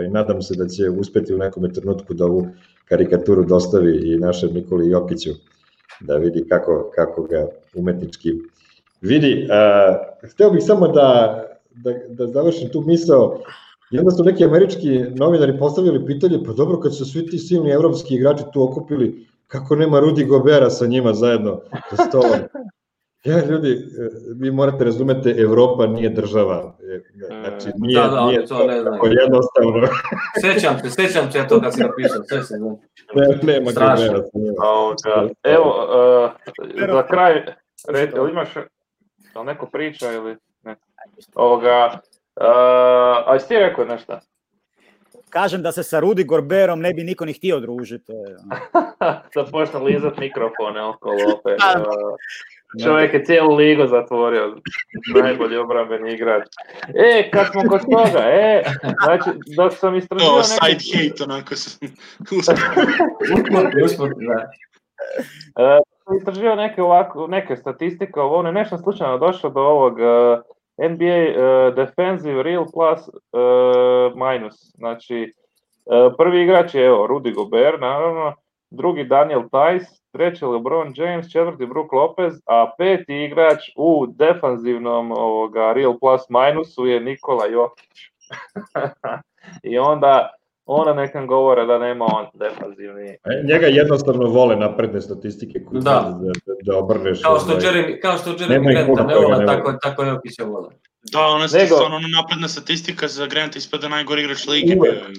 i nadam se da će uspeti u nekom trenutku da ovu karikaturu dostavi i našem Nikoli Jokiću, da vidi kako ga umetnički vidi. Hteo bih samo da završim tu misao. I onda su neki američki novinari postavili pitanje, pa dobro, kad su svi ti silni evropski igrači tu okupili, kako nema Rudy Gobera sa njima zajedno za stolom? Ljudi, vi morate razumete, Evropa nije država. Znači, nije tako jednostavno. Sećam se to kad si napisao, sve se znam. Nema Gobera sa njima. Evo, za kraj, imaš neko priča ili ne? A jesi ti rekao nešto? Kažem da se sa Rudy Goberom ne bi niko ni htio družiti. Da počne lizat mikrofone okolo opet. Čovjek je cijelu ligu zatvorio, najbolji obrambeni igrač. Kad smo kod toga, znači, dok sam istražio neke... side hate, onako sam istražio neke statistike, nešto slučajno došlo do ovog NBA defensive real plus minus. Znači, prvi igrač je Rudy Gobert, naravno, drugi Daniel Tice, treći LeBron James, četvrti Brook Lopez, a peti igrač u defanzivnom real plus minusu je Nikola Jokić. I onda Ona nekam govore da nema on defanzivni. Njega jednostavno vole napredne statistike koje da obrneš. Kao što Jeremy Granta ne vola, tako Jokića vola. Da, ona je stvarno napredna statistika za Granta ispada najgori igrač lige.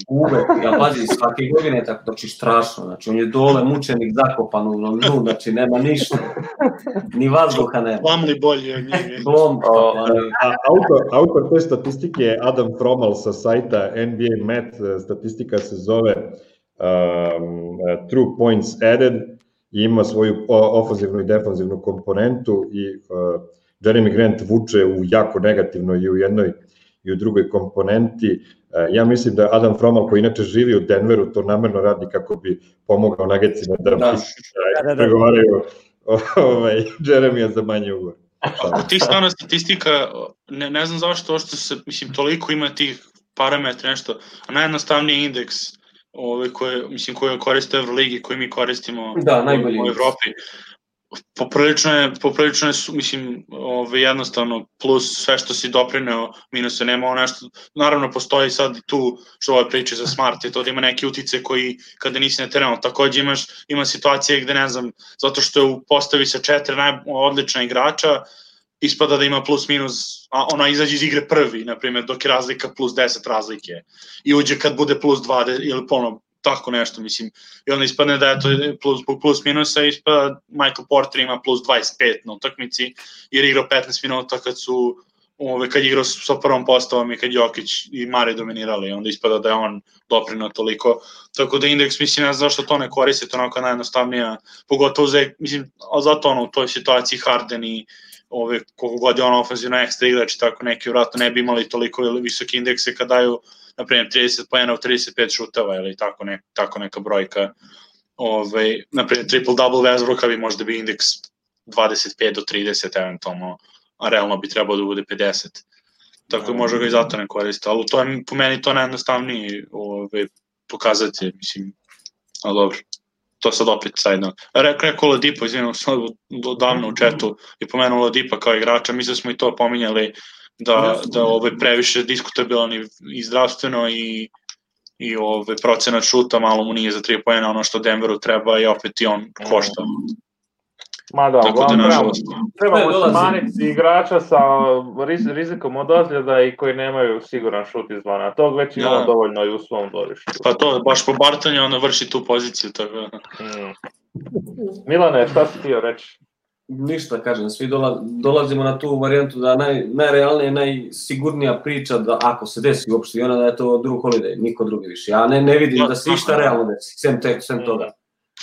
Uvek, ja pazi, svake godine tako, znači strašno, znači on je dole mučenik zakopan u dnu, znači nema ništa, ni vazduha nema. Plamli bolje od njega. Autor te statistike je Adam Fromal sa sajta NBA Met, statistika se zove True Points Added i ima svoju ofenzivnu i defanzivnu komponentu i Jeremy Grant vuče u jako negativnoj i u jednoj i u drugoj komponenti. Ja mislim da Adam Fromal, koji inače živi u Denveru, to namerno radi kako bi pomogao Nuggetsima da pregovaraju Jeremija za manje ugovor. Ako ti stvarno statistika, ne znam zašto što se, mislim, toliko ima tih parametra, nešto, a najjednostavniji indeks koje koriste Euroligi, koji mi koristimo u Evropi, poprilično je, mislim, jednostavno, plus sve što si doprineo, minus je nema nešto, naravno postoji sad tu što ove priče za Smart, je to da ima neki utice koji kada nisi na terenu, takođe ima situacije gde ne znam, zato što je u postavi sa 4 odlična igrača, ispada da ima plus minus, a ona izađe iz igre prvi, na primjer, dok je razlika plus 10 razlike i uđe kad bude plus 20 ili polno, tako nešto, mislim, i onda ispadne da je to plus minusa, ispada Michael Porter ima plus 25 na utakmici, jer igrao 15 minuta kad je igrao sa prvom postavom i kad Jokić i Mare dominirali, onda ispada da je on doprinao toliko, tako da indeks, mislim, ne znam zašto to ne koriste, to onako najjednostavnija, pogotovo mislim, zato u toj situaciji Harden i koliko god je on ofenzivno ekstra igrač, tako neki vratno ne bi imali toliko visoke indekse kad daju na primjer 30 poena u 35 šuteva ili tako neka brojka. Na primjer triple-double Westbrooka bi možda bi indeks 25 do 30 eventualno, a realno bi trebao da bude 50. Tako da možda ga i zato ne koriste, ali to je po meni to najjednostavniji pokazatelj, mislim, ali dobro. To sad opet sajdno. Rekao Oladipo, izvijem sad davno u chatu i pomenuo Oladipa kao igrača, mislim smo i to pominjali da previše diskutabilan i zdravstveno i procenat šuta malo mu nije za 3 poena ono što Denveru treba i opet i on košta. Ma da, trebamo smanjiti igrača sa rizikom od ozljeda i koji nemaju siguran šut izvana. Tog već imamo dovoljno i u svom dvorištu. Pa to, baš po Bartonju ono vrši tu poziciju. Milane, šta si htio reći? Ništa, kažem, svi dolazimo na tu varijantu da najrealnija, najsigurnija priča da ako se desi uopšte i ona da je to Drew Holiday, niko drugi više. Ja ne vidim da se išta realno desi, sem toga.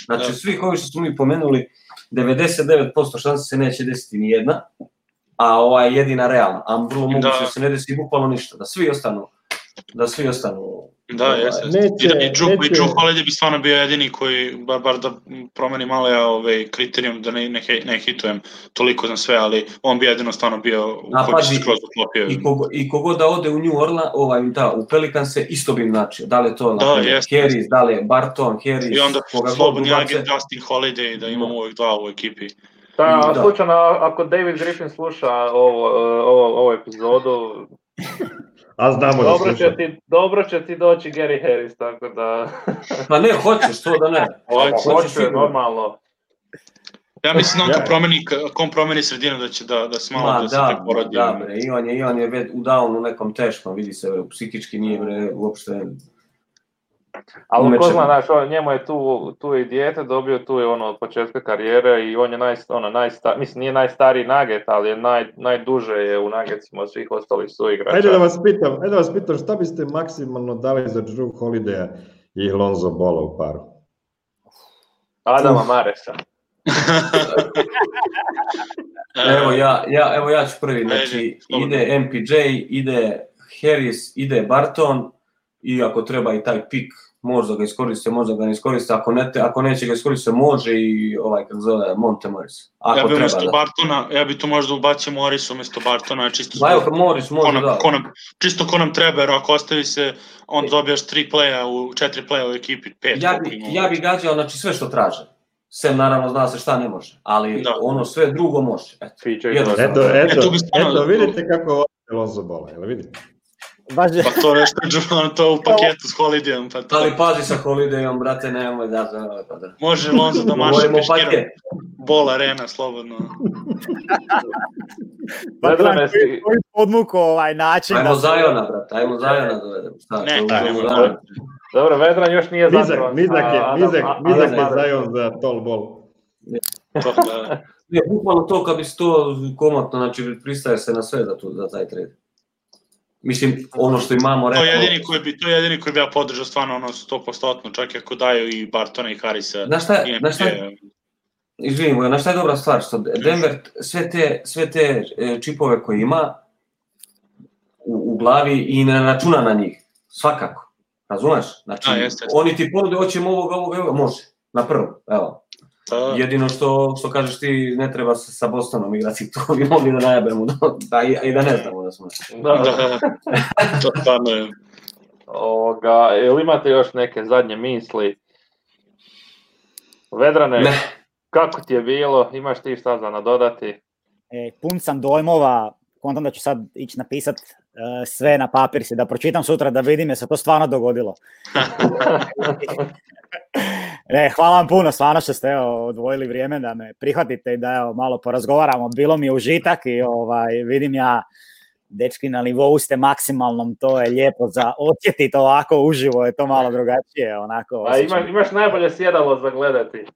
Znači, svih ovih što smo mi pomenuli, 99% šanse se neće desiti ni jedna, a ova je jedina realna, a vrlo moguće da se ne desi bukvalno ništa, da svi ostanu. Da, jeste. I Drew Holiday bi stvarno bio jedini koji, bar da promeni malo kriterijum, da ne hitujem toliko za sve, ali on bi jedino stvarno bio koji bi se skroz uklopio. I kogod da ode u New Orleans, u Pelicanse, isto bi načio. Da li je to Harris, da li je Barton, Harris. I onda slobodni agent Justin Holiday, da imamo uvijek dva u ekipi. Da, slučajno, ako David Griffin sluša ovu epizodu, a znamo da sluša. Dobro će ti doći Gary Harris, tako da... Pa ne, hoćeš to da ne. Hoće, normalno. Ja mislim da on promeni sredinu da će da se malo da se tek porodi. Da, bre, i on je u downu nekom teškom, vidi se, psihički nije uopšte... Ali ko zna, znaš, njemu je tu i dijete, dobio tu je od početka karijere i on je mislim nije najstariji Nugget, ali je najduže je u Nuggetsima od svih ostalih suigrača. Ajde da vas pitam, šta biste maksimalno dali za Drew Holidaya i Lonzo Balla u paru? Adama Maresa. Evo ja ću prvi, znači ide MPJ, ide Harris, ide Barton, i ako treba i taj pik, možda ga iskoriste, možda ga ne iskoriste, ako neće ga iskoriste, može i kako zove Monte Morris. Ja bi to možda ubacio Morris umjesto Bartona, čisto ko nam treba, jer ako ostavi se, on dobijaš 4 playa u ekipi, 5. Ja bi gađao, znači sve što traže. Sem naravno zna se šta ne može, ali ono sve drugo može. Eto, vidite kako je Lonzo Balla, jel vidite? Pa to nešto to u paketu s Holidayom. Pa to... Ali pazi sa Holidayom, brate, nemoj da... Može Lonzo da maše peškirom. Bol arena, slobodno. Vedrane si... Podmuku način... Ajmo Zajona, brate, ajmo Zajona dovedemo. Ne, dobro, Vedran još nije zapravo. Nizak je Zajon za tall ball. To, da. Bukvalno to kad bi se to komotno, znači pristaje se na sve za taj trade. Mislim, ono što imamo rekao... To je jedini koji bi ja podržao stvarno 100%, čak i ako daju i Bartona i Harrisa. Znaš šta izvinimo, znaš šta je dobra stvar, što Denver sve te čipove koje ima u glavi i ne računa na njih, svakako, razumeš? Znači, oni ti ponude, hoćemo ovoga, može, na prvo, evo. Jedino što kažeš ti, ne treba se sa Bostonom igrati, to bi mogli da najabemo, i da ne znamo da smo. To stvarno je. Jel imate još neke zadnje misli? Vedrane, kako ti je bilo? Imaš ti šta za nadodati? Pun sam dojmova, kontam da ću sad ići napisat sve na papir si, da pročitam sutra, da vidim je se to stvarno dogodilo. Hvala vam puno, stvarno što ste odvojili vrijeme da me prihvatite i da malo porazgovaramo. Bilo mi je užitak i vidim ja, dečki, na nivou ste maksimalnom, to je lijepo za osjetiti ovako uživo, je to malo drugačije. Onako, imaš najbolje sjedalo za gledati.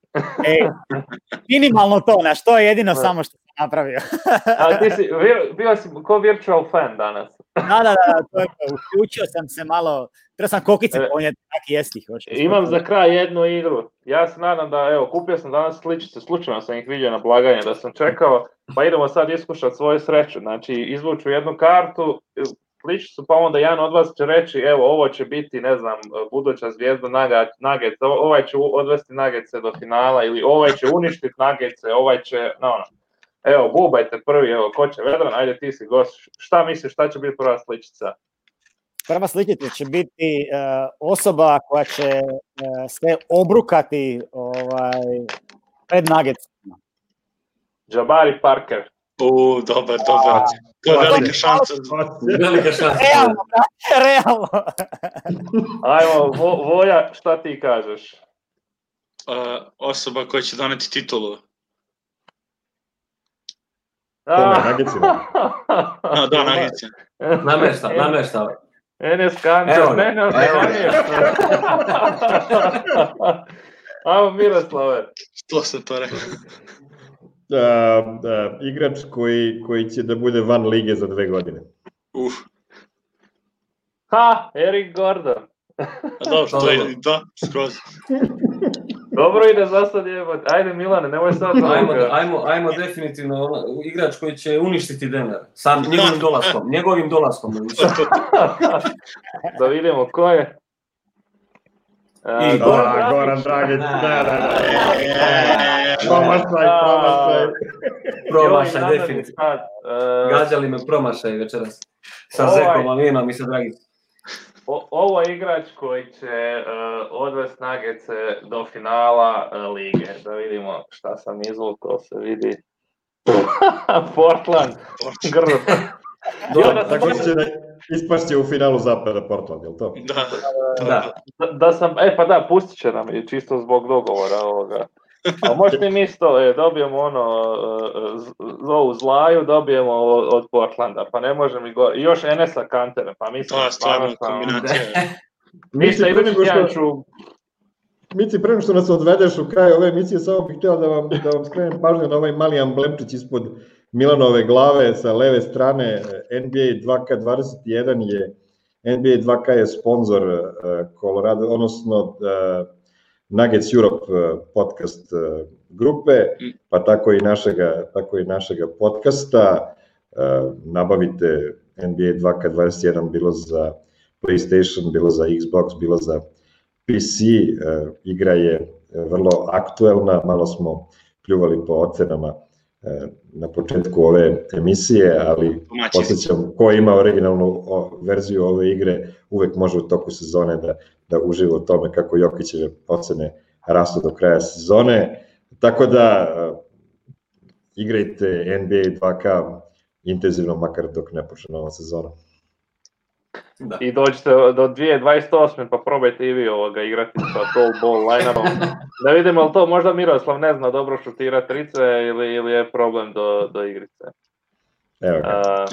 Minimalno to, to je jedino samo što sam napravio. A ti si, bio si ko virtual fan danas. Da, to je, uključio sam se malo, treba sam kokice ponijeti, tak jesti. Imam za kraj jednu igru. Ja se nadam da, kupio sam danas sličice, slučajno sam ih vidio na blagajne, da sam čekao, pa idemo sad iskušati svoju sreću. Znači, izvuču jednu kartu, sličicu, pa onda jedan od vas će reći, ovo će biti, ne znam, buduća zvijezda Nuggets, ovaj će odvesti Nuggetse do finala, ili ovaj će uništiti Nuggetse, ovaj će, Evo, bubajte prvi, ko će Vedran, ajde ti si gost. Šta misliš, šta će biti prva sličica? Prva sličica će biti osoba koja će se obrukati pred Nuggetsima. Jabari Parker. Dobar. To je velika šansa. Realno. Ajmo, Voja, šta ti kažeš? Osoba koja će doneti titulu. Nuggetsima. Da, Nuggetsima. Namešta. Enes Kančar, ne. Ajmo Miroslave. Što sam to rekao? Igrač koji će da bude van lige za 2 godine. Eric Gordon. Dobro, to je, skroz. Dobro ide za sad jebati. Ajde Milane, nemoj sad. Ajmo definitivno igrač koji će uništiti Denver. Sam njegovim dolaskom. Da vidimo ko je. Goran Dragić. Promašaj definitivno. Gađali me promašaj večeras. Sa Zekom, Alinom i sa Dragić. Ovo je igrač koji će odvesti Nuggetse do finala lige. Da vidimo šta sam izvukao, se vidi. Portland. Grdo. Tako će ispašće u finalu zapada Portland, je li to? Da. Pustit će nam i čisto zbog dogovora ovoga. A možete mi isto, dobijemo ovu Zlaju, dobijemo od Portlanda, pa ne možemo i gore. I još Enesa Kantera, pa mislim... To je stvarno kombinacija. Mislim, Mici, pre nego što nas odvedeš u kraj ove emisije, samo bih htio da vam skrenem pažnju na ovaj mali amblemčić ispod Milanove glave sa leve strane. NBA 2K21 je, NBA 2K je sponsor Colorado, odnosno Nuggets Europe podcast grupe, pa tako i našega podcasta. Nabavite NBA 2K21 bilo za PlayStation, bilo za Xbox, bilo za PC. Igra je vrlo aktuelna, malo smo pljuvali po ocenama na početku ove emisije, ali podsjećam, ko ima originalnu verziju ove igre, uvek može u toku sezone da uživa u tome kako Jokićeve ocene rastu do kraja sezone. Tako da igrajte NBA 2K intenzivno, makar dok ne počne nova sezona. Da. I dođete do 2028. pa probajte i vi igrati sa tall ball line-upom. Da vidimo li to možda Miroslav ne zna dobro šutira trice ili je problem do igrice. Evo ga.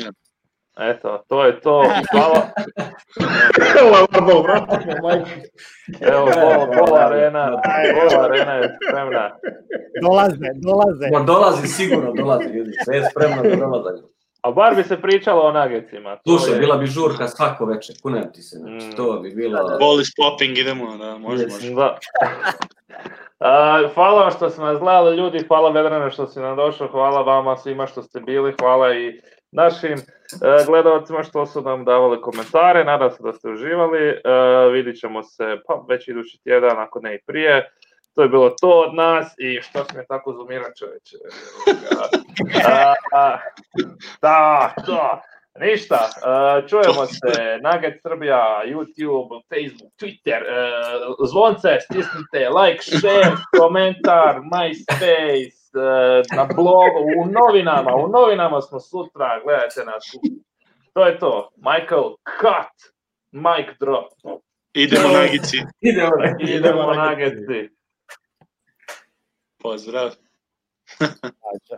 Eto, to je to. Hvala. Evo, Bol Arena je spremna. Dolaze. Sigurno dolazi, ljudi. Sve je spremno da dolaze. A bar bi se pričalo o Nuggetsima. Slušaj, bila bi žurka svako večer, kunem ti se, znači to bi bilo... Ball is popping, idemo, da, može. Da. Hvala vam što ste nas gledali, ljudi, hvala Vedrane što si nam došao, hvala vama svima što ste bili, hvala i našim gledalcima što su nam davali komentare, nadam se da ste uživali, vidit ćemo se pa već idući tjedan, ako ne i prije. To je bilo to od nas i što si me tako zoomirao, čoveče. Da, to. Ništa, čujemo se, Nugget Srbija, YouTube, Facebook, Twitter, zvonce, stisnite, like, share, komentar, MySpace, na blogu, u novinama smo sutra, gledajte nas. To je to, Michael, cut, mic drop. Idemo Nagici. Idemo Nuggetsi. Pozdrav.